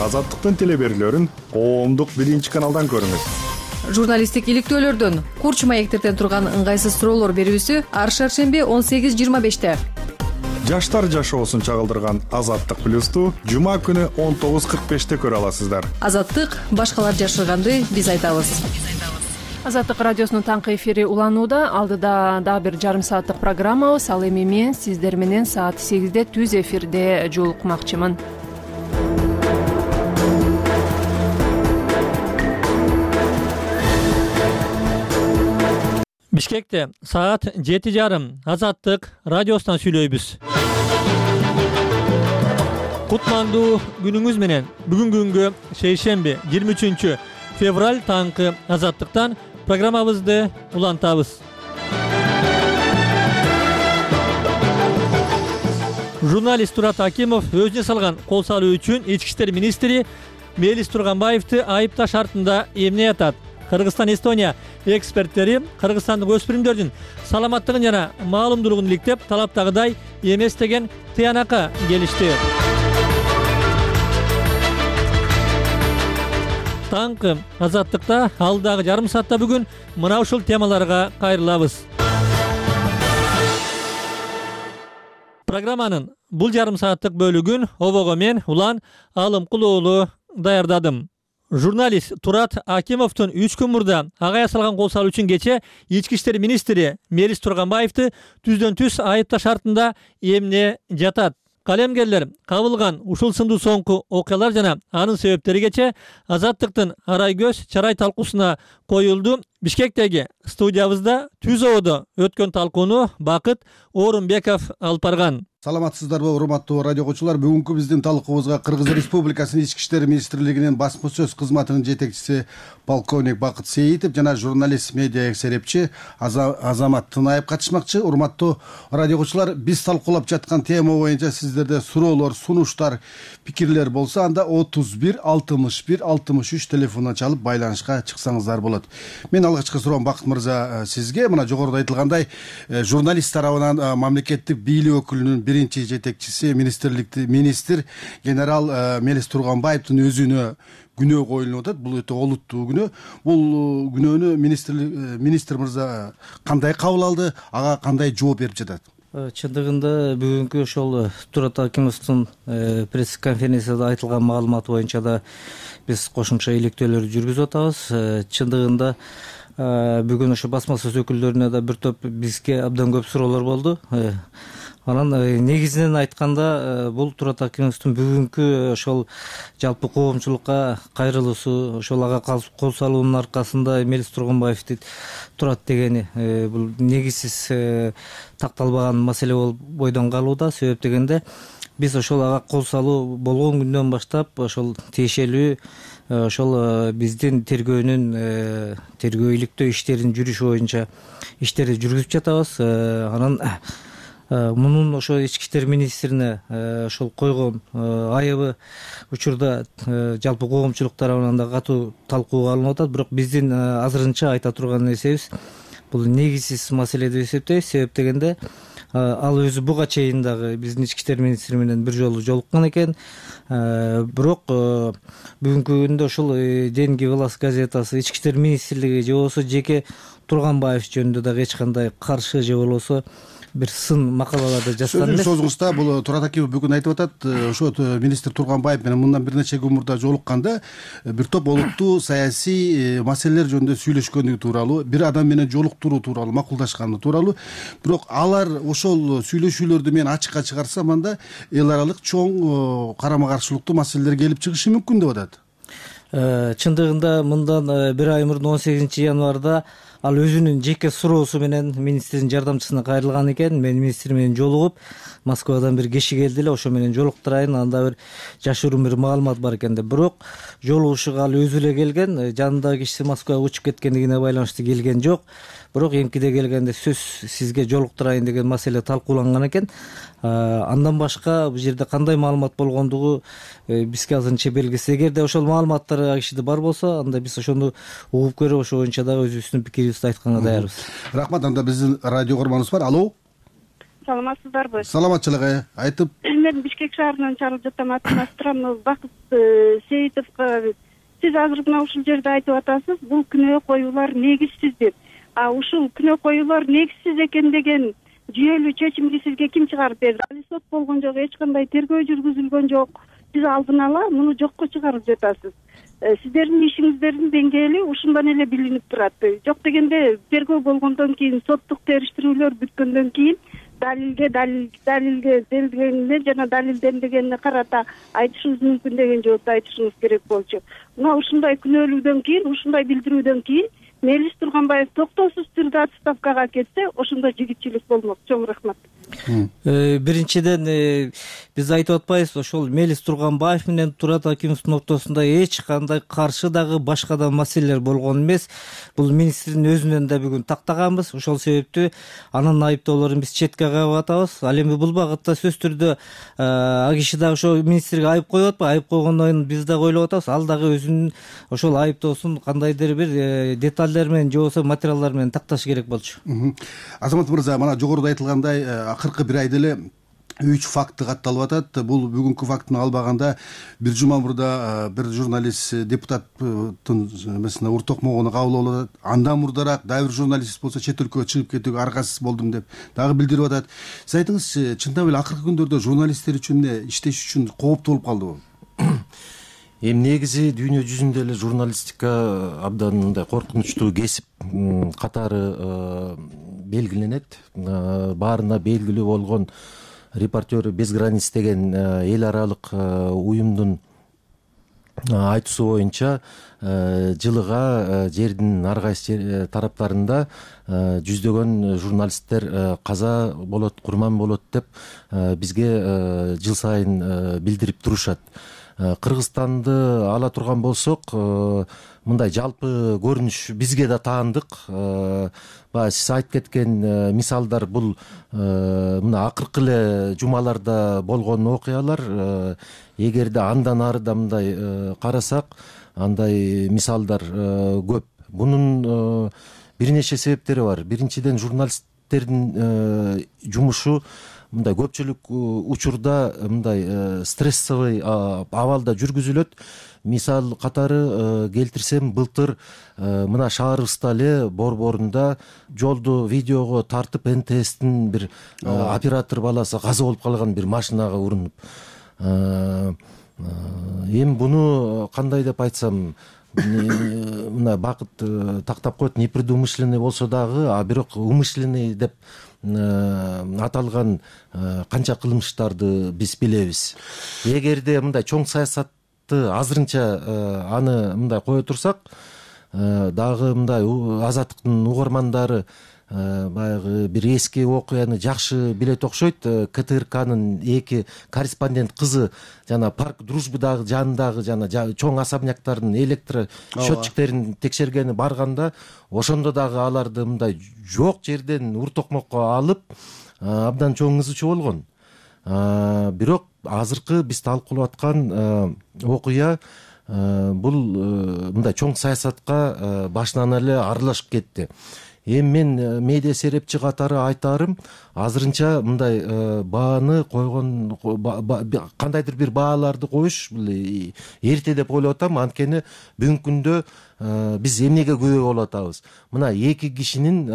Speaker 15: Азаттыктын телеберүүлөрүн коомдук биринчи каналдан көрүңүз.
Speaker 16: Журналисттик иликтөөлөрдөн, курч маектерден турган ыңгайсыз суроолор берүүсү ар шаршемби он сегиз жыйырма беште.
Speaker 15: Жаштар жашоосун чагылдырган Азаттык плюсту жума күнү он тогуз кырк беште көрө аласыздар.
Speaker 16: Азаттык башкалар жашырганды биз айтабыз.
Speaker 1: Азаттык радиосунун таңкы эфири уланууда. Алдыда дагы бир жарым сааттык программабыз. Ал эми мен сиздер менен саат сегизде түз эфирде жолукмакчымын.
Speaker 11: Бишкекте саат жети жарым Азаттык радиосунан сүйлөйбүз. Кутмандуу күнүңүз менен бүгүнкү күнгө шейшемби жыйырма үчүнчү февраль таңкы Азаттыктан программабызды улантабыз. Журналист Турат Акимов өзүнө салган кол салуу үчүн ички иштер министри Мелис Турганбаевди айыпташ шартында эмне атат. Кыргызстан Эстония эксперттери кыргызстандык өспүрүмдөрдүн саламаттыгын жана маалымдуулугун иликтеп, талаптагыдай эмес деген тыянакка келишти. Таңкы Азаттыкта алдагы жарым саатта бүгүн мына ушул темаларга кайрылабыз. Программанын бул жарым сааттык бөлүгүн обого мен Улан Алымкул уулу даярдадым. Журналист Турат Акимовдун үч күн мурда ага ясалган кол салуу үчүн кече ички иштер министри Мелис Турганбаевди түздөн түз айыпташ шартында эмне жатат. Калемгерлер кабылган ушул сындуу соңку окуялар жана анын себептери кече Азаттыктын арай көз чарай талкуусуна коюлду. Бишкектеги студиябызда түз ободо өткөн талкууну Бакыт Орунбеков алып барган.
Speaker 17: Саламатсыздарбы, урматтуу радио окуучулар. Бүгүнкү биздин талкуубузга Кыргыз Республикасынын ички иштер министрлигинин басма сөз кызматынын жетекчиси полковник Бакыт Сейитов жана журналист медиа эксерепчи Азамат Тынаев катышмакчы. Урматтуу радио окуучулар, биз талкуулап жаткан тема боюнча сиздерде суроолор, сунуштар, пикирлер болсо, анда отуз бир алтымыш бир алтымыш үч телефонуна чалып байланышка чыксаңыздар болот. Мен алгачкы суроом Бакыт мырза сизге. Мына жогоруда айтылгандай, журналист тарабынан мамлекеттик бийлик өкүлүнүн биринчи жетекчиси министрликти министр генерал Мелис Турганбаевдин өзүнө күнөө коюлуп атат. Бул өтө олуттуу күнөө. Бул күнөөнү министр министр мырза кандай кабыл алды, ага кандай жооп берип жатат?
Speaker 18: Чындыгында бүгүнкү ошол Турат Акимовдун пресс конференцияда айтылган маалымат боюнча да биз кошумча иликтөөлөр жүргүзүп атабыз. Чындыгында бүгүн ошо басма сөз өкүлдөрүнө да бир топ бизге абдан көп суроолор болду. Анан негизинен айтканда бул Турат Акимовдун бүгүнкү ошол жалпы коомчулукка кайрылуусу, ошол ага кол салуунун аркасында Мелис Турганбаевди турат дегени бул негизсиз такталбаган маселе болуп бойдон калууда. Себеп дегенде биз ошол ага кол салуу болгон күндөн баштап ошол тиешелүү ошол биздин тергөөнүн тергөө иликтөө иштеринин жүрүшү боюнча иштерди жүргүзүп жатабыз. Анан мунун ошо ички иштер министрине ошол койгон айыбы учурда жалпы коомчулук тарабынан да катуу талкууга алынып атат. Бирок биздин азырынча айта турган нерсебиз бул негизсиз маселе деп эсептейбиз. Себеп дегенде ал өзү буга чейин дагы биздин ички иштер министри менен бир жолу жолуккан экен. Бирок бүгүнкү күндө ошол Деньги Власть газетасы, ички иштер министрлиги же болбосо жеке Турганбаев жөнүндө дагы эч кандай каршы же болбосо бир сын макалаларды жазган эмес.
Speaker 17: Сөзүңүздө бул Турат Акимов бүгүн айтып атат, ошо министр Турганбаев менен мындан бир нече күн мурда жолукканда бир топ олуттуу саясий маселелер жөнүндө сүйлөшкөнүгү тууралуу, бир адам менен жолуктуруу тууралуу макулдашканы тууралуу. Бирок алар ошол сүйлөшүүлөрдү мен ачыкка чыгарсам, анда эл аралык чоң карама каршылыктуу маселелер келип чыгышы мүмкүн деп атат.
Speaker 18: Чындыгында мындан бир ай мурун он сегизинчи январда ал өзүнүн жеке суроосу менен министрдин жардамчысына кайрылган экен. Мен министр менен жолугуп, Москвадан бир киши келди эле, ошо менен жолуктурайын, анда бир жашыруун бир маалымат бар экен деп. Бирок жолугушууга ал өзү эле келген, жанындагы кишиси Москвага учуп кеткендигине байланыштуу келген жок. Бирок эмкиде келгенде сөз сизге жолуктурайын деген маселе талкууланган экен. Андан башка бул жерде кандай маалымат болгондугу бизге азырынча белгисиз. Эгерде ошол маалыматтар кишиде бар болсо, анда биз ошону угуп көрүп, ошо боюнча дагы өзүбүздүн пикирибизди айтканга даярбыз.
Speaker 17: Рахмат. Анда биздин радио көрманыбыз бар. Алло.
Speaker 19: Саламатсыздарбы?
Speaker 17: Саламатчылык. Айтып.
Speaker 19: Мен Бишкек шаарынан чалып жатам. Атым Бакыт Сейитовго. Сиз азыр мына ушул жерде айтып атасыз, бул күнөө коюулар негизсиз деп. А ушул күнөө коюулар негизсиз экен деген жүйөлүү чечимди сизге ким чыгарып берди? Али сот болгон жок, эч кандай тергөө жүргүзүлгөн жок. Сиз алдын ала муну жокко чыгарып жатасыз. Сиздердин ишиңиздердин деңгээли ушундан эле билинип турат. Жок дегенде тергөө болгондон кийин, соттук териштирүүлөр бүткөндөн кийин далилге далил далилге делгенине жана далилденбегенине карата айтышыбыз мүмкүн деген жоопду айтышыңыз керек болчу. Мына ушундай күнөөлүүдөн кийин, ушундай билдирүүдөн кийин Мелис Турганбаев токтоосуз түрдө отставкага кетсе, ошондо жигитчилик болмок. Чоң рахмат.
Speaker 18: Биринчиден биз айтып атпайбыз, ошол Мелис Турганбаев менен Турат Акимовдун ортосунда эч кандай каршы дагы башка да маселелер болгон эмес. Бул министрдин өзүнөн да бүгүн тактаганбыз. Ошол себептүү анын айыптоолорун биз четке кагып атабыз. Ал эми бул багытта сөз түрдө а киши дагы ошо министрге айып коюп атпайбы? Айып койгондон биз дагы ойлоп атабыз. Ал дагы өзүнүн ошол айыптоосун кандайдыр бир детальдер менен же болбосо материалдар менен такташ керек болчу.
Speaker 17: Азамат мырза, мына жогоруда айтылгандай акыркы бир айда эле үч факты катталып атат. Бул бүгүнкү фактыны албаганда бир жума мурда бир журналист депутаттын эмесине уртокмогону кабыл алып атат. Андан мурдараак дагы бир журналист болсо чет өлкөгө чыгып кетүүгө аргасыз болдум деп дагы билдирип атат. Сиз айтыңызчы, чындап эле акыркы күндөрдө журналисттер үчүн иштеш үчүн кооптуу болуп калдыбы?
Speaker 20: Эми негизи дүйнө жүзүндө эле журналистика абдан мындай коркунучтуу кесип катары белгиленет. Баарына белгилүү болгон Репортеры без границ деген эл аралык уюмдун айтуусу боюнча жылыга жердин ар кайсы тараптарында жүздөгөн журналисттер каза болот, курман болот деп бизге жыл сайын билдирип турушат. Кыргызстанды ала турган болсок, мындай жалпы көрүнүш бизге да таандык. Баягы сиз айтып кеткен мисалдар бул мына акыркы эле жумаларда болгон окуялар. Эгерде андан арыда мындай карасак, андай мисалдар көп. Бунун бир нече себептери бар. Биринчиден, журналисттердин жумушу мындай көпчүлүк учурда мындай стрессовый абалда жүргүзүлөт. Мисал катары келтирсем, былтыр мына шаарыбызда эле Борборунда жолду видеого тартып эн тэ эстин бир оператор баласы каза болуп калган, бир машинага урунуп. Эми буну кандай деп айтсам, мына Бакыт тактап коет, непредумышленный болсо дагы, а бирок умышленный деп аталган канча кылмыштарды биз билебиз. Эгерде мындай чоң саясатты азырынча аны мындай кое турсак, дагы мындай Азаттыктын угармандары баягы бир эски окуяны жакшы билет окшойт. ка тэ эр канын эки корреспондент кызы жана парк Дружбадагы жанындагы жана чоң особняктардын электро счетчиктерин текшергени барганда, ошондо дагы аларды мындай жок жерден уртокмокко алып абдан чоң ызы чуу болгон. Бирок азыркы биз талкуулап аткан окуя бул мындай чоң саясатка башынан эле аралашып кетти. Эми мен медиа серепчи катары айтарым, азырынча мындай бааны койгон, кандайдыр бир бааларды коюш бул эрте деп ойлоп атам. Анткени бүгүнкү күндө биз эмнеге күбө болуп атабыз? Мына эки кишинин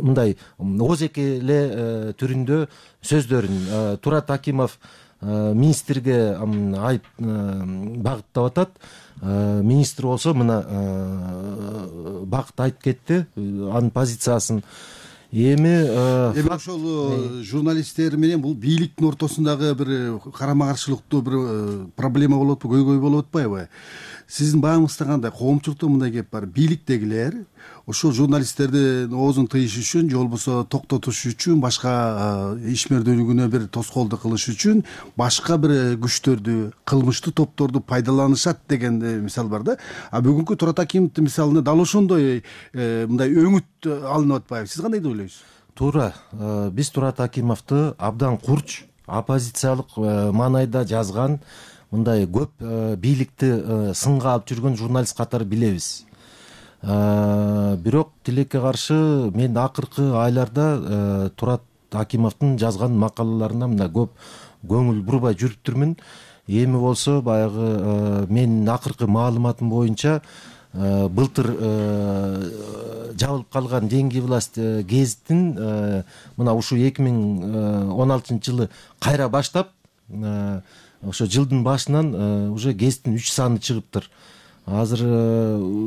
Speaker 20: мындай озеки эле түрүндө сөздөрүн Турат Акимов министрге айып багыттап атат. Министр болсо мына Бакыт айтып кетти анын позициясын. Эми
Speaker 17: эми ошол журналисттер менен бул бийликтин ортосундагы бир карама каршылыктуу бир проблема болуп атпайбы, көйгөй болуп атпайбы? сиздин баамыңызда кандай? Коомчулукта мындай кеп бар, бийликтегилер ошол журналисттердин оозун тыйыш үчүн же болбосо токтотуш үчүн, башка ишмердүүлүгүнө бир тоскоолдук кылыш үчүн башка бир күчтөрдү, кылмыштуу топторду пайдаланышат деген мисал бар да. А бүгүнкү Турат Акимовдун мисалында дал ошондой мындай өңүт алынып атпайбы? Сиз кандай деп ойлойсуз?
Speaker 20: Туура. Биз Турат Акимовду абдан курч, оппозициялык маанайда жазган, мындай көп бийликти сынга алып жүргөн журналист катары билебиз. Бирок тилекке каршы мен акыркы айларда Турат Акимовдун жазган макалаларына мындай көп көңүл бурбай жүрүптүрмүн. Эми болсо баягы менин акыркы маалыматым боюнча былтыр жабылып калган «Деньги власть» гезитин мына ушу эки миң он алтынчы жылы кайра баштап, ошо жылдын башынан уже гезиттин үч саны чыгыптыр. Азыр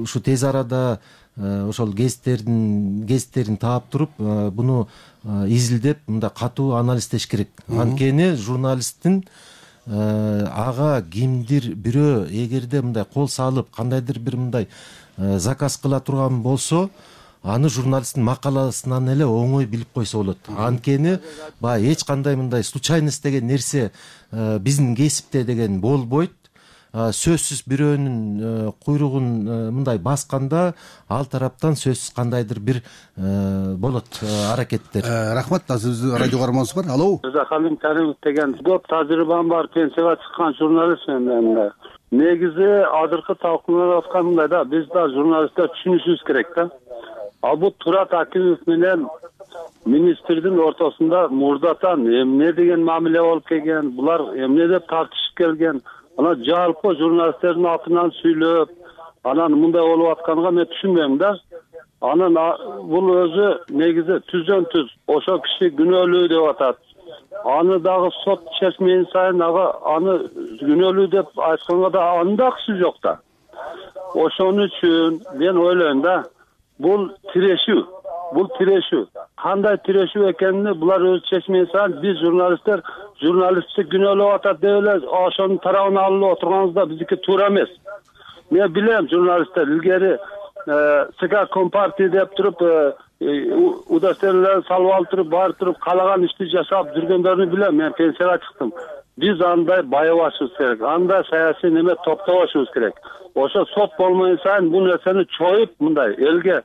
Speaker 20: ушу тез арада ошол гезиттердин гезиттерин таап туруп, буну изилдеп, мындай катуу анализдеш керек. Анткени журналисттин ага кимдир бирөө эгерде мындай кол салып, кандайдыр бир мындай заказ кыла турган болсо, аны журналисттин макаласынан эле оңой билип койсо болот. Анткени баягы эч кандай мындай случайность деген нерсе биздин кесипте деген болбойт. Сөзсүз бирөөнүн куйругун мындай басканда ал тараптан сөзсүз кандайдыр бир болот аракеттер.
Speaker 17: Рахмат. Азыр радио карманыбыз бар. Алло.
Speaker 21: Халим Каримов деген көп тажрыйбам бар, пенсияга чыккан журналист мен. Негизи азыркы талкууланып аткан мындай да, биз да журналисттер түшүнүшүбүз керек да. Ал бул Турат Акимов менен министрдин ортосунда мурдатан эмне деген мамиле болуп келген, булар эмне деп тартышып келген. Ана жалпы журналисттердин атынан сүйлөп, анан мындай болуп атканга мен түшүнбөйм да. Анан бул өзү негизи түздөн түз ошо киши күнөөлүү деп атат. Аны дагы сот чечмени сайын ага аны күнөөлүү деп айтканга да анын да акысы жок да. Ошон үчүн мен ойлойм да, бул тирешүү, бул тирешүү. Кандай тирешүү экенин булар өз чечмени сайын биз журналисттер журналистти күнөөлөп атат деп эле ошонун тарабын алып отурганыбыз да биздики туура эмес. Мен билем журналисттер илгери ЦК Компартия деп туруп удостоверенияларды салып алып туруп, барып туруп каалаган ишти жашап жүргөндөрүнү билем. Мен пенсияга чыктым. Биз андай байыбашыбыз керек, андай саясий неме топтобошубуз керек. Ошо сот болмой сайын бул нерсени чоюп мындай элге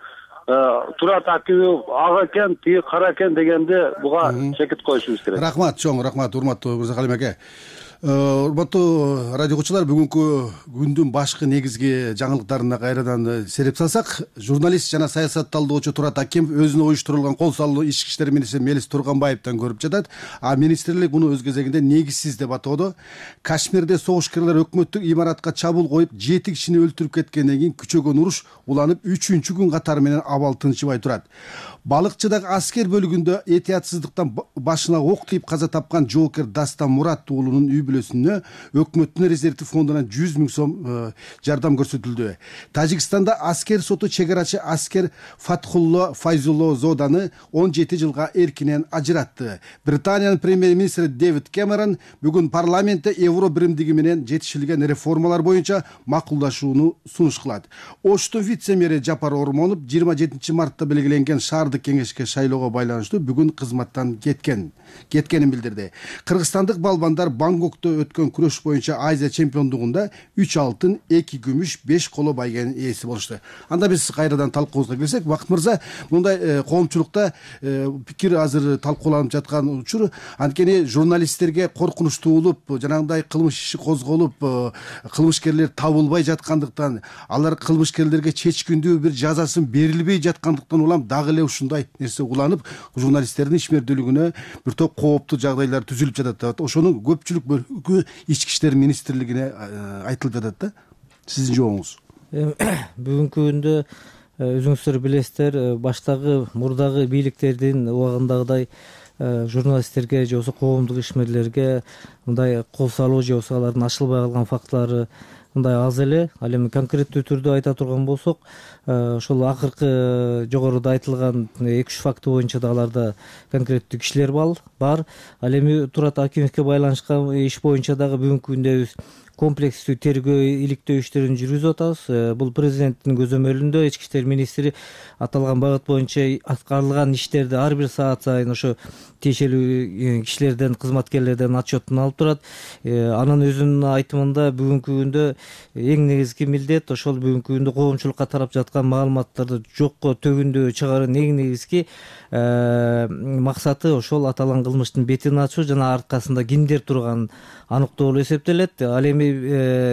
Speaker 21: Турат Акимов ага экен, тиги кара экен дегенде буга чекит коюшубуз керек.
Speaker 17: Рахмат, чоң рахмат, урматтуу Мырзахалим аке. Урматтуу радио окуучулар, бүгүнкү күндүн башкы негизги жаңылыктарына кайрадан сереп салсак, журналист жана саясат талдоочу Турат Акимов өзүнө уюштурулган кол салуу ички иштер министри Мелис Турганбаевден көрүп жатат. А министрлик муну өз кезегинде негизсиз деп атоодо. Кашмирде согушкерлер өкмөттүк имаратка чабуул коюп, жети кишини өлтүрүп кеткенден кийин күчөгөн уруш уланып, үчүнчү күн катары менен абал тынчыбай турат. Балыкчыдагы аскер бөлүгүндө этиятсыздыктан башына ок тийип каза тапкан жоокер Дастан Мурат уулунун үй бүлөсүнө өкмөттүн резервдик фондунан жүз миң сом жардам көрсөтүлдү. Тажикстанда аскер соту чегарачы аскер Фатхулло Файзулло Зоданы он жети жылга эркинен ажыратты. Британиянын премьер-министри Дэвид Кэмерон бүгүн парламентте евро биримдиги менен жетишилген реформалар боюнча макулдашууну сунуш кылат. Оштун вице-мэри Жапар Ормонов жыйырма жетинчи мартта белгиленген шаардык кеңешке шайлоого байланыштуу бүгүн кызматтан кеткен кеткенин билдирди. Кыргызстандык балбандар Бангкокто өткөн күрөш боюнча Азия чемпиондугунда үч алтын, эки күмүш, беш коло байгенин ээси болушту. Анда биз кайрадан талкуубузга кирсек, Бакыт мырза, мындай коомчулукта пикир азыр талкууланып жаткан учур, анткени журналисттерге коркунучтуулуп, жанагындай кылмыш иши козголуп, кылмышкерлер табылбай жаткандыктан, алар кылмышкерлерге чечкиндүү бир жазасын берилбей жаткандыктан улам дагы эле ушундай нерсе уланып, журналисттердин ишмердүүлүгүнө бир топ кооптуу жагдайлар түзүлүп жатат деп. Ошонун көпчүлүк бөлүгү ички иштер министрлигине айтылып жатат да. Сиздин жообуңуз?
Speaker 18: Бүгүнкү күндө өзүңүздөр билесиздер, баштагы мурдагы бийликтердин убагындагыдай журналисттерге же болбосо коомдук ишмерлерге мындай кол салуу же болбосо алардын ачылбай калган фактылары мындай аз эле. Ал эми конкреттүү түрдө айта турган болсок, ошол акыркы жогоруда айтылган эки үч факты боюнча да аларда конкреттүү кишилер бар. Ал эми Турат Акимовге байланышкан иш боюнча дагы бүгүнкү күндө комплекстүү тергөө иликтөө иштерин жүргүзүп атабыз. Бул президенттин көзөмөлүндө ички иштер министри аталган багыт боюнча аткарылган иштерди ар бир саат сайын ошо тиешелүү кишилерден, кызматкерлерден отчетун алып турат. Анын өзүнүн айтымында бүгүнкү күндө эң негизги милдет ошол бүгүнкү күндө коомчулукка тарап жаткан маалыматтарды жокко төгүндөө чыгаруунун эң негизги максаты ошол аталган кылмыштын бетин ачуу жана арткасында кимдер турганын аныктоо болуп эсептелет. Ал эми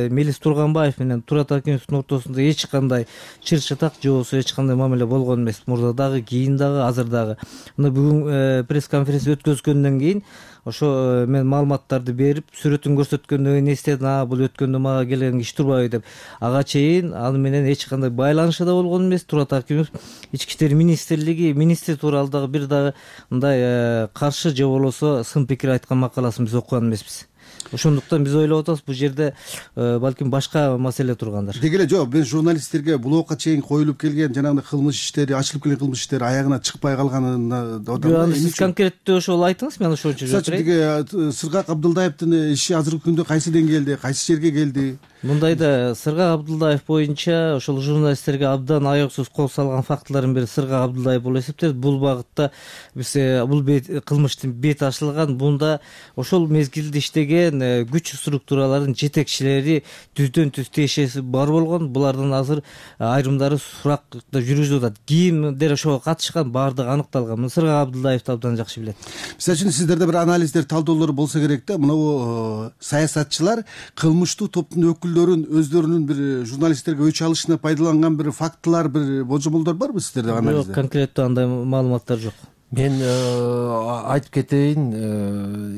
Speaker 18: Мелис Турганбаев менен Турат Акимовдун ортосунда эч кандай чыр чатак же болбосо эч кандай мамиле болгон эмес. Мурда дагы, кийин дагы, азыр дагы. Мына бүгүн пресс конференция өткөзгөндөн кийин ошо мен маалыматтарды берип, сүрөтүн көрсөткөндөн кийин эстедим, а бул өткөндө мага келген киши турбайбы деп. Ага чейин аны менен эч кандай байланышы да болгон эмес. Турат Акимов ички иштер министрлиги министри тууралуу дагы бир дагы мындай каршы же болбосо сын пикир айткан макаласын биз окуган эмеспиз. Ошондуктан биз ойлоп атабыз, бул жерде балким башка маселе тургандыр.
Speaker 17: Деги эле жок, мен журналисттерге блокко чейин коюлуп келген жанагындай кылмыш иштери, ачылып келген кылмыш иштери аягына чыкпай калганына
Speaker 18: аны сиз конкреттүү ошол айтыңыз, мен ошончо жооп берейин.
Speaker 17: Деги Сыргак Абдылдаевдин иши азыркы күндө кайсы деңгээлде, кайсы жерге келди?
Speaker 18: Мындайда Сыргак Абдылдаев боюнча ошол журналисттерге абдан аяксыз кол салган фактылардын бири Сыргак Абдылдаев болуп эсептелет. Бул багытта биз бул кылмыштын бети ачылган, бунда ошол мезгилде иштеген күч структураларынын жетекчилери түздөн түз тиешеси бар болгон. Булардын азыр айрымдары суракта жүргүзүлүп атат. Кимдер ошого катышкан баардыгы аныкталган. Сыргак Абдылдаевди абдан жакшы билет.
Speaker 17: Мисалы үчүн сиздерде бир анализдер, талдоолор болсо керек да. Мына саясатчылар кылмыштуу топтун өкүлдөрүн өздөрүнүн бир журналисттерге өч алышына пайдаланган бир фактылар, бир божомолдор барбы сиздерде анализде?
Speaker 18: Жок, конкреттүү андай маалыматтар жок.
Speaker 20: Мен айтып кетейин,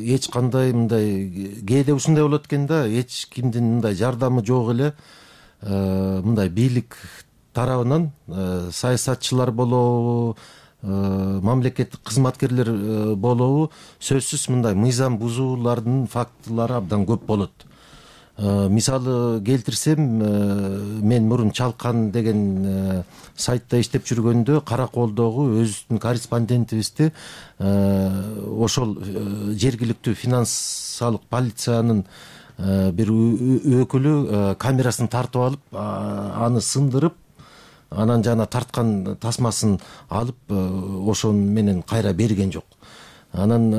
Speaker 20: эч кандай мындай кээде ушундай болот экен да, эч кимдин мындай жардамы жок эле, мындай бийлик тарабынан саясатчылар болобу, мамлекеттик кызматкерлер болобу, сөзсүз мындай мыйзам бузуулардын фактылары абдан көп болот. Мисалы келтирсем, мен мурун Чалкан деген сайтта иштеп жүргөндө Караколдогу өзүбүздүн корреспондентибизди ошол жергиликтүү финансылык полициянын бир өкүлү камерасын тартып алып, аны сындырып, анан жана тарткан тасмасын алып, ошон менен кайра берген жок. Анан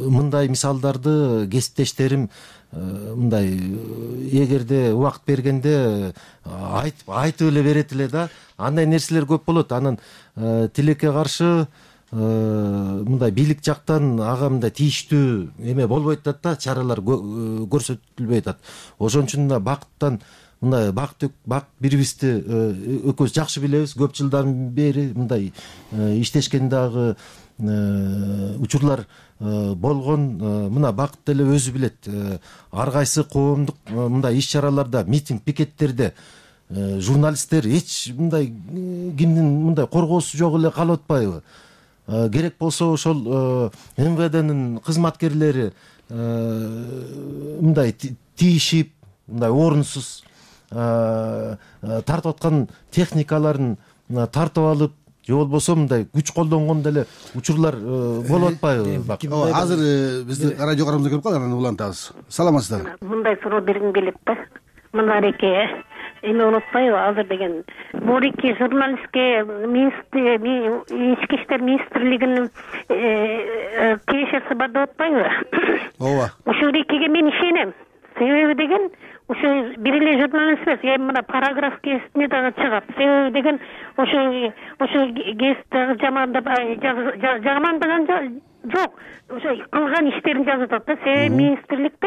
Speaker 20: мындай мисалдарды кесиптештерим мындай эгерде убакыт бергенде айтып айтып эле берет эле да. Андай нерселер көп болот. Анан тилекке каршы мындай бийлик жактан ага мындай тийиштүү эме болбойт атат да, чаралар көрсөтүлбөй атат. Ошон үчүн да бакыттан мындай бакыт бак бирибизди экөөбүз жакшы билебиз. Көп жылдан бери мындай иштешкен дагы учурлар болгон. Мына бакыт деле өзү билет. Ар кайсы коомдук мындай иш чараларда, митинг, пикеттерде журналисттер эч мындай кимдин мындай коргоосу жок эле калып атпайбы? Керек болсо ошол эм вэ дэнин кызматкерлери мындай тийишип, мындай орунсуз тартып аткан техникаларын тартып алып, же болбосо мындай күч колдонгон деле учурлар болуп атпайбы?
Speaker 17: Азыр биздин радио карабызга келип калды, анан улантабыз. Саламатсыздарбы?
Speaker 2: Мындай суроо бергим келет да. Мындареке эме унутпайбы, азыр деген бул эки журналистке ички иштер министрлигинин тиешеси бар деп атпайбы?
Speaker 17: Ооба.
Speaker 2: Ушул экиге мен ишенем. Себеби деген ошо бир эле журналист эмес, эми мына параграф кесиптине дагы чыгат. Себеби деген ошо ошо кесип жамандап жамандаган жок. Ошо кылган иштерин жазып атат да. Себеби министрликте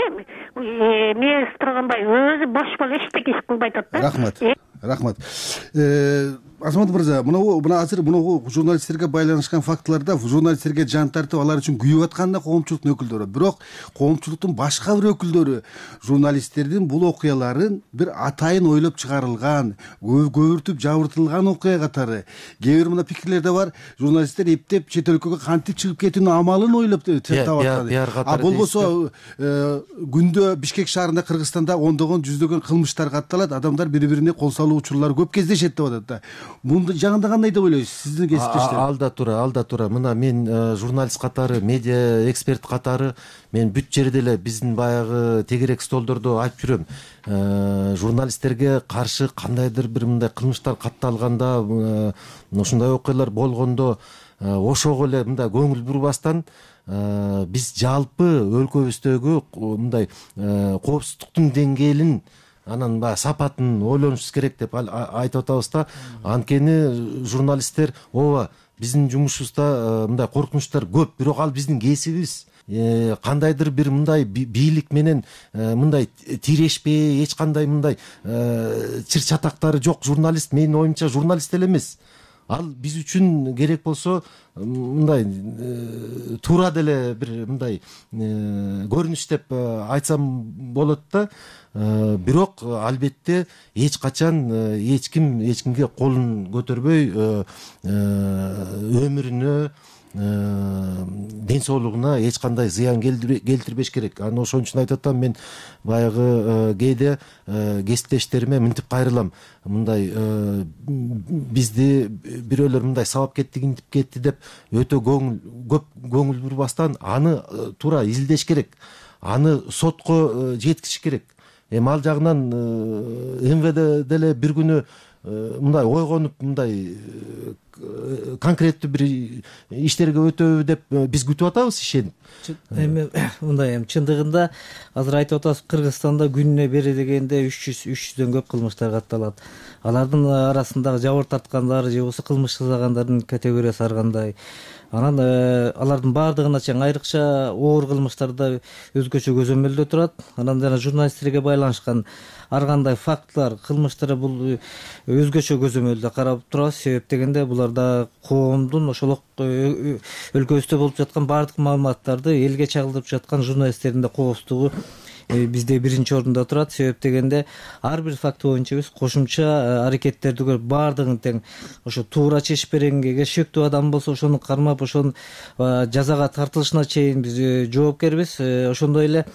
Speaker 2: Мелис Турганбаев өзү бош болуп эчтеке иш кылбай атат да.
Speaker 17: Рахмат. Рахмат. Азамат мырза, мына мына азыр мына журналисттерге байланышкан фактыларда журналисттерге жан тартып, алар үчүн күйүп аткан да коомчулуктун өкүлдөрү. Бирок коомчулуктун башка бир өкүлдөрү журналисттердин бул окуяларын бир атайын ойлоп чыгарылган, көбүртүп жабыртылган окуя катары. Кээ бир мына пикирлерде бар, журналисттер эптеп чет өлкөгө кантип чыгып кетүүнүн амалын ойлоп таап аткан. А болбосо күндө Бишкек шаарында, Кыргызстанда ондогон жүздөгөн кылмыштар катталат, адамдар бири-бирине кол салуу учурлары көп кездешет деп атат да. мунду жагында кандай деп ойлойсуз сиздин кесиптештер?
Speaker 20: Ал да туура, ал да туура. Мына мен журналист катары, медиа эксперт катары мен бүт жерде эле биздин баягы тегерек столдордо айтып жүрөм. Журналисттерге каршы кандайдыр бир мындай кылмыштар катталганда, ушундай окуялар болгондо ошого эле мындай көңүл бурбастан биз жалпы өлкөбүздөгү мындай коопсуздуктун деңгээлин, анан баягы сапатын ойлонушубуз керек деп айтып атабыз да. Анткени журналисттер ооба биздин жумушубузда мындай коркунучтар көп, бирок ал биздин кесибибиз. Кандайдыр бир мындай бийлик менен мындай тирешпей, эч кандай мындай чыр чатактары жок журналист менин оюмча журналист эле эмес. Ал биз үчүн керек болсо мындай туура деле бир мындай көрүнүш деп айтсам болот да. Бирок албетте эч качан эч ким эч кимге колун көтөрбөй өмүрүнө, ден соолугуна эч кандай зыян келтирбеш керек. Анан ошон үчүн айтып атам, мен баягы кээде кесиптештериме мынтип кайрылам. Мындай бизди бирөөлөр мындай сабап кетти, кинтип кетти деп өтө көңүл көп көңүл бурбастан аны туура изилдеш керек. Аны сотко жеткизиш керек. Эми ал жагынан эм вэ дэ деле бир күнү мындай ойгонуп, мындай конкреттүү бир иштерге өтөбү деп биз күтүп атабыз, ишенип.
Speaker 18: Эми мындай эми чындыгында азыр айтып атабыз, Кыргызстанда күнүнө бери дегенде үч жүз үч жүздөн көп кылмыштар катталат. Алардын арасындагы жабыр тарткандар же болбосо кылмыш жасагандардын категориясы ар кандай. Анан алардын баардыгына чейин айрыкча оор кылмыштарда өзгөчө көзөмөлдө турат. Анан жана журналисттерге байланышкан ар кандай фактылар, кылмыштар бул өзгөчө көзөмөлдө карап турабыз. Себеп дегенде буларда коомдун, ошол өлкөбүздө болуп жаткан баардык маалыматтарды элге чагылдырып жаткан журналисттердин да коопсуздугу бизде биринчи орунда турат. Себеп дегенде ар бир факт боюнча биз кошумча аракеттерди көрүп, баардыгын тең ошо туура чечип бергенге, шектүү адам болсо ошону кармап, ошонун жазага тартылышына чейин биз жоопкербиз. Ошондой эле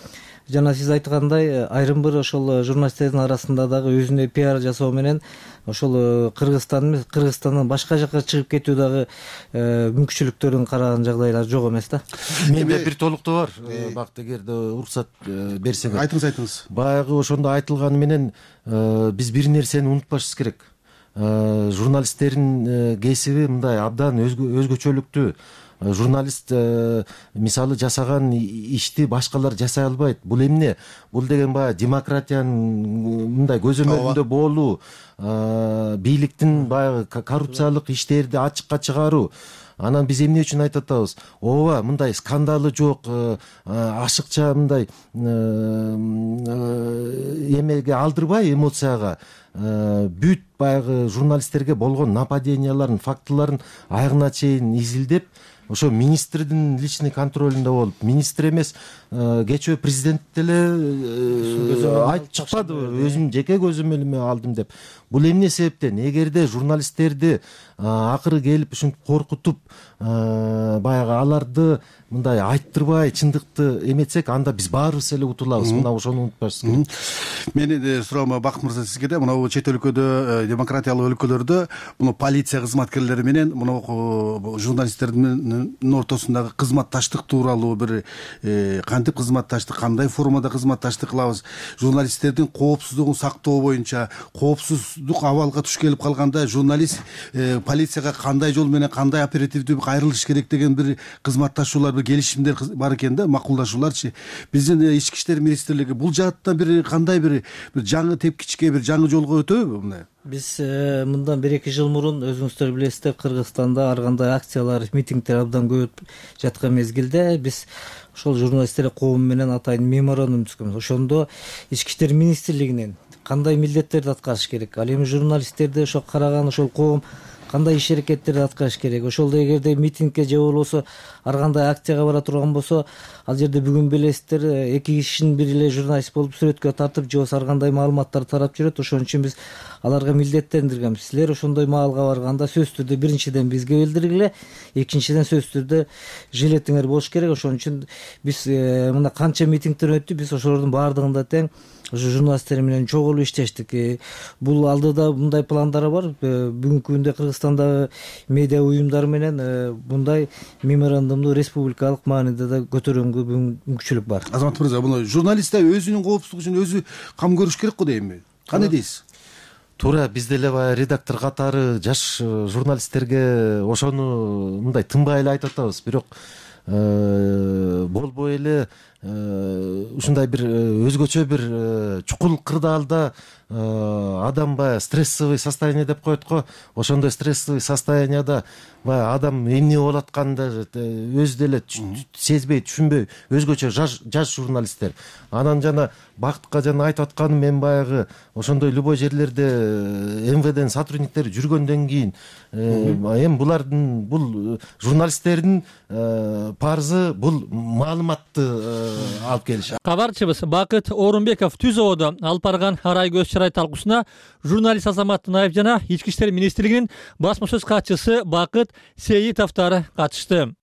Speaker 18: жана сиз айткандай, айрым бир ошол журналисттердин арасында дагы өзүнө пиар жасоо менен ошол Кыргызстан эмес, Кыргызстандан башка жака чыгып кетүү дагы мүмкүнчүлүктөрүн караган жагдайлар жок эмес да.
Speaker 20: Менде бир толуктоо бар, бакыт, эгерде уруксат берсеңиз.
Speaker 17: Айтыңыз, айтыңыз.
Speaker 20: Баягы ошондо айтылганы менен биз бир нерсени унутпашыбыз керек. Журналисттердин кесиби мындай абдан өзгөчөлүктүү. Журналист мисалы жасаган ишти башкалар жасай албайт. Бул эмне? Бул деген баягы демократиянын мындай көзөмөлүндө болуу, бийликтин баягы коррупциялык иштерди ачыкка чыгаруу. Анан биз эмне үчүн айтып атабыз? Ооба, мындай скандалы жок, ашыкча мындай эмеге алдырбай, эмоцияга бүт баягы журналисттерге болгон нападенияларын, фактыларын аягына чейин изилдеп, ошо министрдин личный контролунда болуп, министр эмес, кечээ президент деле айтып чыкпадыбы, өзүм жеке көзөмөлүмө алдым деп. Бул эмне себептен? Эгерде журналисттерди акыры келип ушинтип коркутуп, баягы аларды мындай айттырбай чындыкты эметсек, анда биз баарыбыз эле утулабыз. Мына ошону унутпашыбыз керек.
Speaker 17: Менин суроом Бакыт мырза сизге да, мына чет өлкөдө, демократиялык өлкөлөрдө муну полиция кызматкерлери менен муну журналисттердин ортосундагы кызматташтык тууралуу бир кантип кызматташтык, кандай формада кызматташтык кылабыз, журналисттердин коопсуздугун сактоо боюнча, коопсуздук абалга туш келип калганда журналист полицияга кандай жол менен, кандай оперативдүү кайрылыш керек деген бир кызматташуулар, бир келишимдер бар экен да, макулдашууларчы. Биздин ички иштер министрлиги бул жааттан бир кандай бир жаңы тепкичке, бир жаңы жолго өтөбү мындай?
Speaker 18: Биз мындан бир эки жыл мурун өзүңүздөр билесиздер, Кыргызстанда ар кандай акциялар, митингдер абдан көп жаткан мезгилде биз ошол журналисттер коому менен атайын меморандум түзгөнбүз. Ошондо ички иштер министрлигинен кандай милдеттерди аткарыш керек, ал эми журналисттерди ошо караган ошол коом кандай иш аракеттерди аткарыш керек. Ошол эгерде митингке же болбосо ар кандай акцияга бара турган болсо, ал жерде бүгүн билесиздер, эки кишинин бири эле журналист болуп сүрөткө тартып же болбосо ар кандай маалыматтарды тарап жүрөт. Ошон үчүн биз аларга милдеттендиргем. Силер ошондой маалга барганда сөзсүз түрдө биринчиден бизге билдиргиле, экинчиден сөзсүз түрдө жилетиңер болуш керек. Ошон үчүн биз мына канча митингдер өттү, биз ошолордун баардыгында тең ошо журналисттер менен чогулуп иштештик. Бул алдыда мындай пландар бар. Бүгүнкү күндө Кыргызстандагы медиа уюмдар менен мындай меморандумду республикалык мааниде да көтөргөнгө мүмкүнчүлүк бар.
Speaker 17: Азамат мырза, буну журналисттер өзүнүн коопсуздугу үчүн өзү кам көрүш керек го дейинби? Кандай дейсиз?
Speaker 20: Туура, биз деле баягы редактор катары жаш журналисттерге ошону мындай тынбай эле айтып атабыз. Бирок болбой эле ушундай бир өзгөчө бир чукул кырдаалда адам баягы стрессовый состояние деп коет го. Ошондой стрессовый состоянияда баягы адам эмне болуп атканын өзү деле сезбей, түшүнбөй өзгөчө жаш журналисттер. Анан жана бактка жана айтып атканым, мен баягы ошондой любой жерлерде эм вэ ден сотрудниктери жүргөндөн кийин эми булардын, бул журналисттердин парызы бул маалыматты алып келиш.
Speaker 11: Кабарчыбыз Бакыт Орунбеков Түзөөдө алып барган арай көз чырай талкуусуна журналист Азамат Наев жана Ички иштер министрлигинин басма сөз катчысы Бакыт Сейитовдор катышты.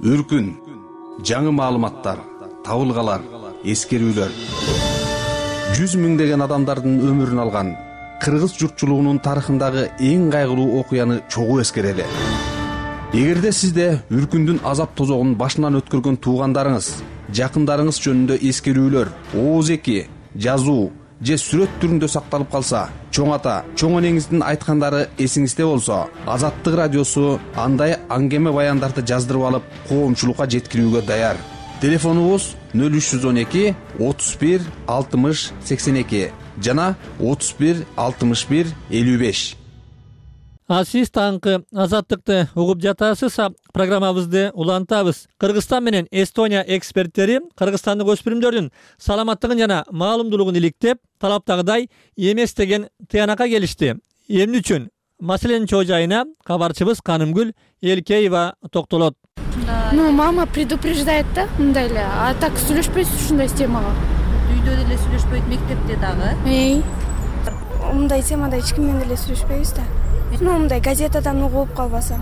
Speaker 10: Үркүн, жаңы маалыматтар, табылгалар, эскерүүлөр. Жүз миңдеген адамдардын өмүрүн алган кыргыз журтчулугунун тарыхындагы эң кайгылуу окуяны чогуу эскерели. Эгерде сизде үркүндүн азап тозогун башынан өткөргөн туугандарыңыз, жакындарыңыз жөнүндө эскерүүлөр, ооз-эки, жазуу же сүрөт түрүндө сакталып калса, чоң ата, чоң энеңиздин айткандары эсиңизде болсо, Азаттык радиосу андай аңгеме баяндарды жаздырып алып, коомчулукка жеткирүүгө даяр. Телефонубуз нөл үч жүз он эки отуз бир алтымыш сексен эки жана отуз бир алтымыш бир элүү беш.
Speaker 11: А сиз таңкы Азаттыкты угуп жатасыз. Программабызды улантабыз. Кыргызстан менен Эстония эксперттери кыргызстандык өспүрүмдөрдүн саламаттыгын жана маалымдуулугун иликтеп, талаптагыдай эмес деген тыянакка келишти. Эмне үчүн? Маселенин чоо жайына кабарчыбыз Канымгүл Элкеева токтолот.
Speaker 7: Ну, мама предупреждает да, мындай эле. А так сүйлөшпөйсүз ушундай темага.
Speaker 22: Үйдө деле сүйлөшпөйт, мектепте дагы.
Speaker 7: Эй. Мындай темада эч ким менен деле сүйлөшпөйбүз да. Ну, мындай газетадан угуп калбаса,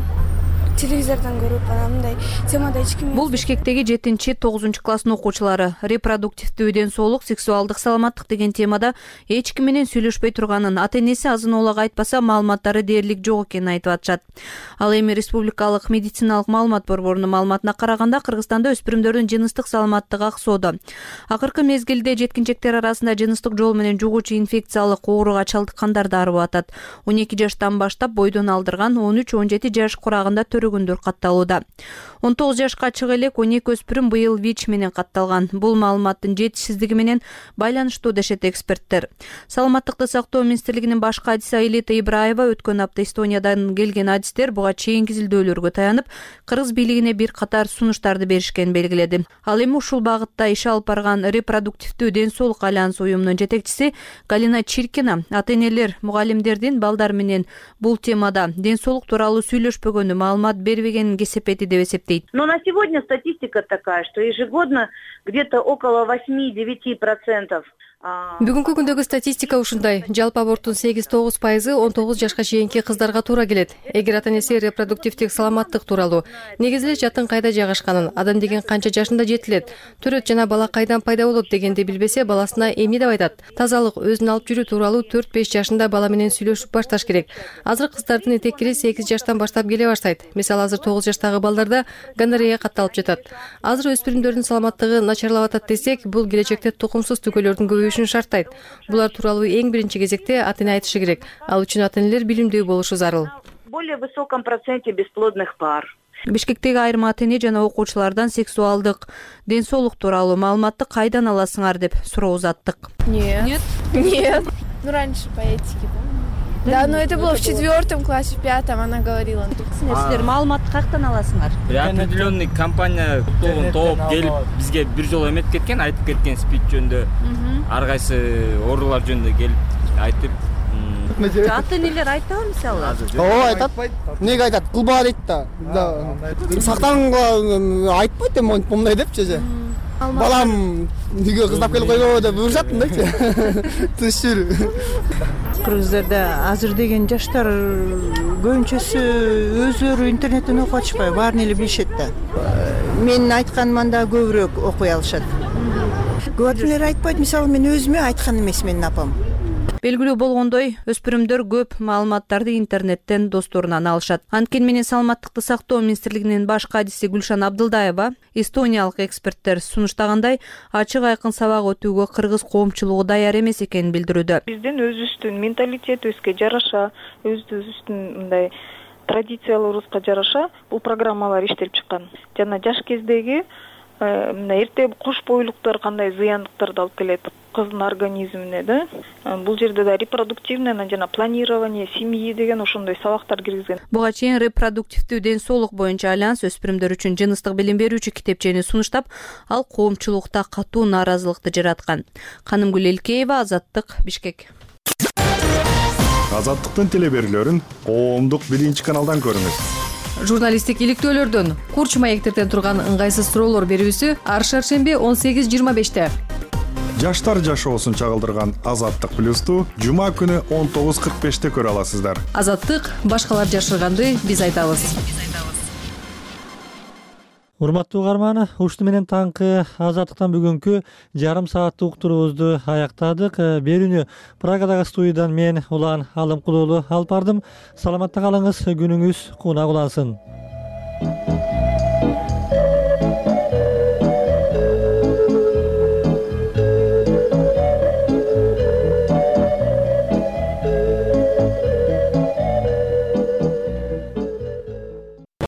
Speaker 7: телевизордон көрүп, анан мындай темада эч ким.
Speaker 22: Бул Бишкектеги жетинчи тогузунчу класстын окуучулары репродуктивдүү ден соолук, сексуалдык саламаттык деген темада эч ким менен сүйлөшпөй турганын, ата-энеси азын оолак айтпаса маалыматтары дээрлик жок экенин айтып атышат. Ал эми Республикалык медициналык маалымат борборунун маалыматына караганда Кыргызстанда өспүрүмдөрдүн жыныстык саламаттыгы аксоодо. Акыркы мезгилде жеткинчектер арасында жыныстык жол менен жугуучу инфекциялык ооруга чалдыккандар да арып атат. он эки жаштан баштап бойдон алдырган, он үч он жети жаш курагында көргөндөр катталууда. он тогуз жашка чыга элек он эки өспүрүм быйыл ВИЧ менен катталган. Бул маалыматтын жетишсиздиги менен байланыштуу дешет эксперттер. Саламаттыкты сактоо министрлигинин баш кадиси Аилета Ибраева өткөн апта Эстониядан келген адистер буга чейин изилдөөлөргө таянып, кыргыз бийлигине бир катар сунуштарды беришкенин белгиледи. Ал эми ушул багытта иш алып барган репродуктивдүү ден соолук альянс уюмунун жетекчиси Галина Чиркина ата-энелер, мугалимдердин балдар менен бул темада ден соолук тууралуу сүйлөшпөгөнү, маалымат бербегенин кесепети деп эсептейт.
Speaker 23: Но на сегодня статистика такая, что ежегодно где-то около восьми-девяти процентов.
Speaker 22: Бүгүнкү күндөгү статистика ушундай. Жалпы аборттун сегиз тогуз пайызы он тогуз жашка чейинки кыздарга туура келет. Эгер ата-энеси репродуктивдик саламаттык тууралуу, негизи эле жатын кайда жайгашканын, адам деген канча жашында жетилет, төрөт жана бала кайдан пайда болот дегенди билбесе, баласына эмне деп айтат. Тазалык, өзүн алып жүрүү тууралуу төрт беш жашында бала менен сүйлөшүп башташ керек. Азыр кыздардын этеккири сегиз жаштан баштап келе баштайт. Мисалы, азыр тогуз жаштагы балдарда гонорея катталып жатат. Азыр өспүрүмдөрдүн саламаттыгы начарлап атат десек, бул келечекте тукумсуз түкөлөрдүн көбөйүшүн шарттайт. Булар тууралуу эң биринчи кезекте ата-эне айтышы керек. Ал үчүн ата-энелер билимдүү болушу зарыл.
Speaker 23: Более высоком проценте бесплодных пар.
Speaker 22: Бишкектеги айрым ата-эне жана окуучулардан сексуалдык, ден соолук тууралуу маалыматты кайдан аласыңар деп суроо узаттык.
Speaker 7: Нет. Нет? Нет. Ну, раньше по этике, да? Да, но это было в четвертом классе, в пятом она говорила.
Speaker 22: Силер маалыматты каяктан аласыңар?
Speaker 24: Определенный компания тобун топ келип бизге бир жолу эметип кеткен, айтып кеткен спич жөнүндө, ар кайсы оорулар жөнүндө келип айтып.
Speaker 22: Ата-энелер айтабы мисалы?
Speaker 25: Ооба, айтат. Эмнеге айтат? Кылба дейт да. Сактанганга айтпайт эми мындай депчи же. Балам үйгө кыздап келип койбобу деп буйрушат мындайчы. Тыныч жүрүү.
Speaker 3: кыргыздарда азыр деген жаштар көбүнчөсү өздөрү интернеттен окуп атышпайбы, баарын эле билишет да. Менин айтканыман да көбүрөөк окуй алышат. Көп адамдар айтпайт, мисалы мен өзүмө айткан эмес менин апам.
Speaker 22: Белгилүү болгондой, өспүрүмдөр көп маалыматтарды интернеттен досторунан алышат. Анткени менен саламаттыкты сактоо министрлигинин баш кадиси Гүлшан Абдылдаева эстониялык эксперттер сунуштагандай ачык айкын сабак өтүүгө кыргыз коомчулугу даяр эмес экенин билдирүүдө.
Speaker 5: Биздин өзүбүздүн менталитетибизге жараша, өзүбүздүн мындай традицияларыбызга жараша бул программалар иштелип чыккан. Жана жаш кездеги мына эрте кош бойлуктар кандай зыяндыктарды алып келет кыздын организмине да. Бул жерде да репродуктивное жана планирование семьи деген ошондой сабактар киргизген.
Speaker 22: Буга чейин репродуктивдүү ден соолук боюнча альянс өспүрүмдөр үчүн жыныстык билим берүүчү китепчени сунуштап, ал коомчулукта катуу нааразылыкты жараткан. Канымгүл Элкеева, Азаттык, Бишкек.
Speaker 15: Азаттыктын телеберүүлөрүн коомдук биринчи каналдан көрүңүз.
Speaker 16: Журналисттик иликтөөлөрдөн, курч маектерден турган ыңгайсыз суроолор берүүсү ар шаршемби он сегиз жыйырма беште.
Speaker 15: Жаштар жашоосун чагылдырган Азаттык плюсту жума күнү он тогуз кырк беште көрө аласыздар.
Speaker 16: Азаттык, башкалар жашырганды биз айтабыз.
Speaker 11: Урматтуу угарман, ушуну менен таңкы Азаттыктан бүгүнкү жарым сааттык уктуруубузду аяктадык. Берүүнү Прагадагы студиядан мен Улан Алымкулуулу алып бардым. Саламатта калыңыз, күнүңүз кунак улансын.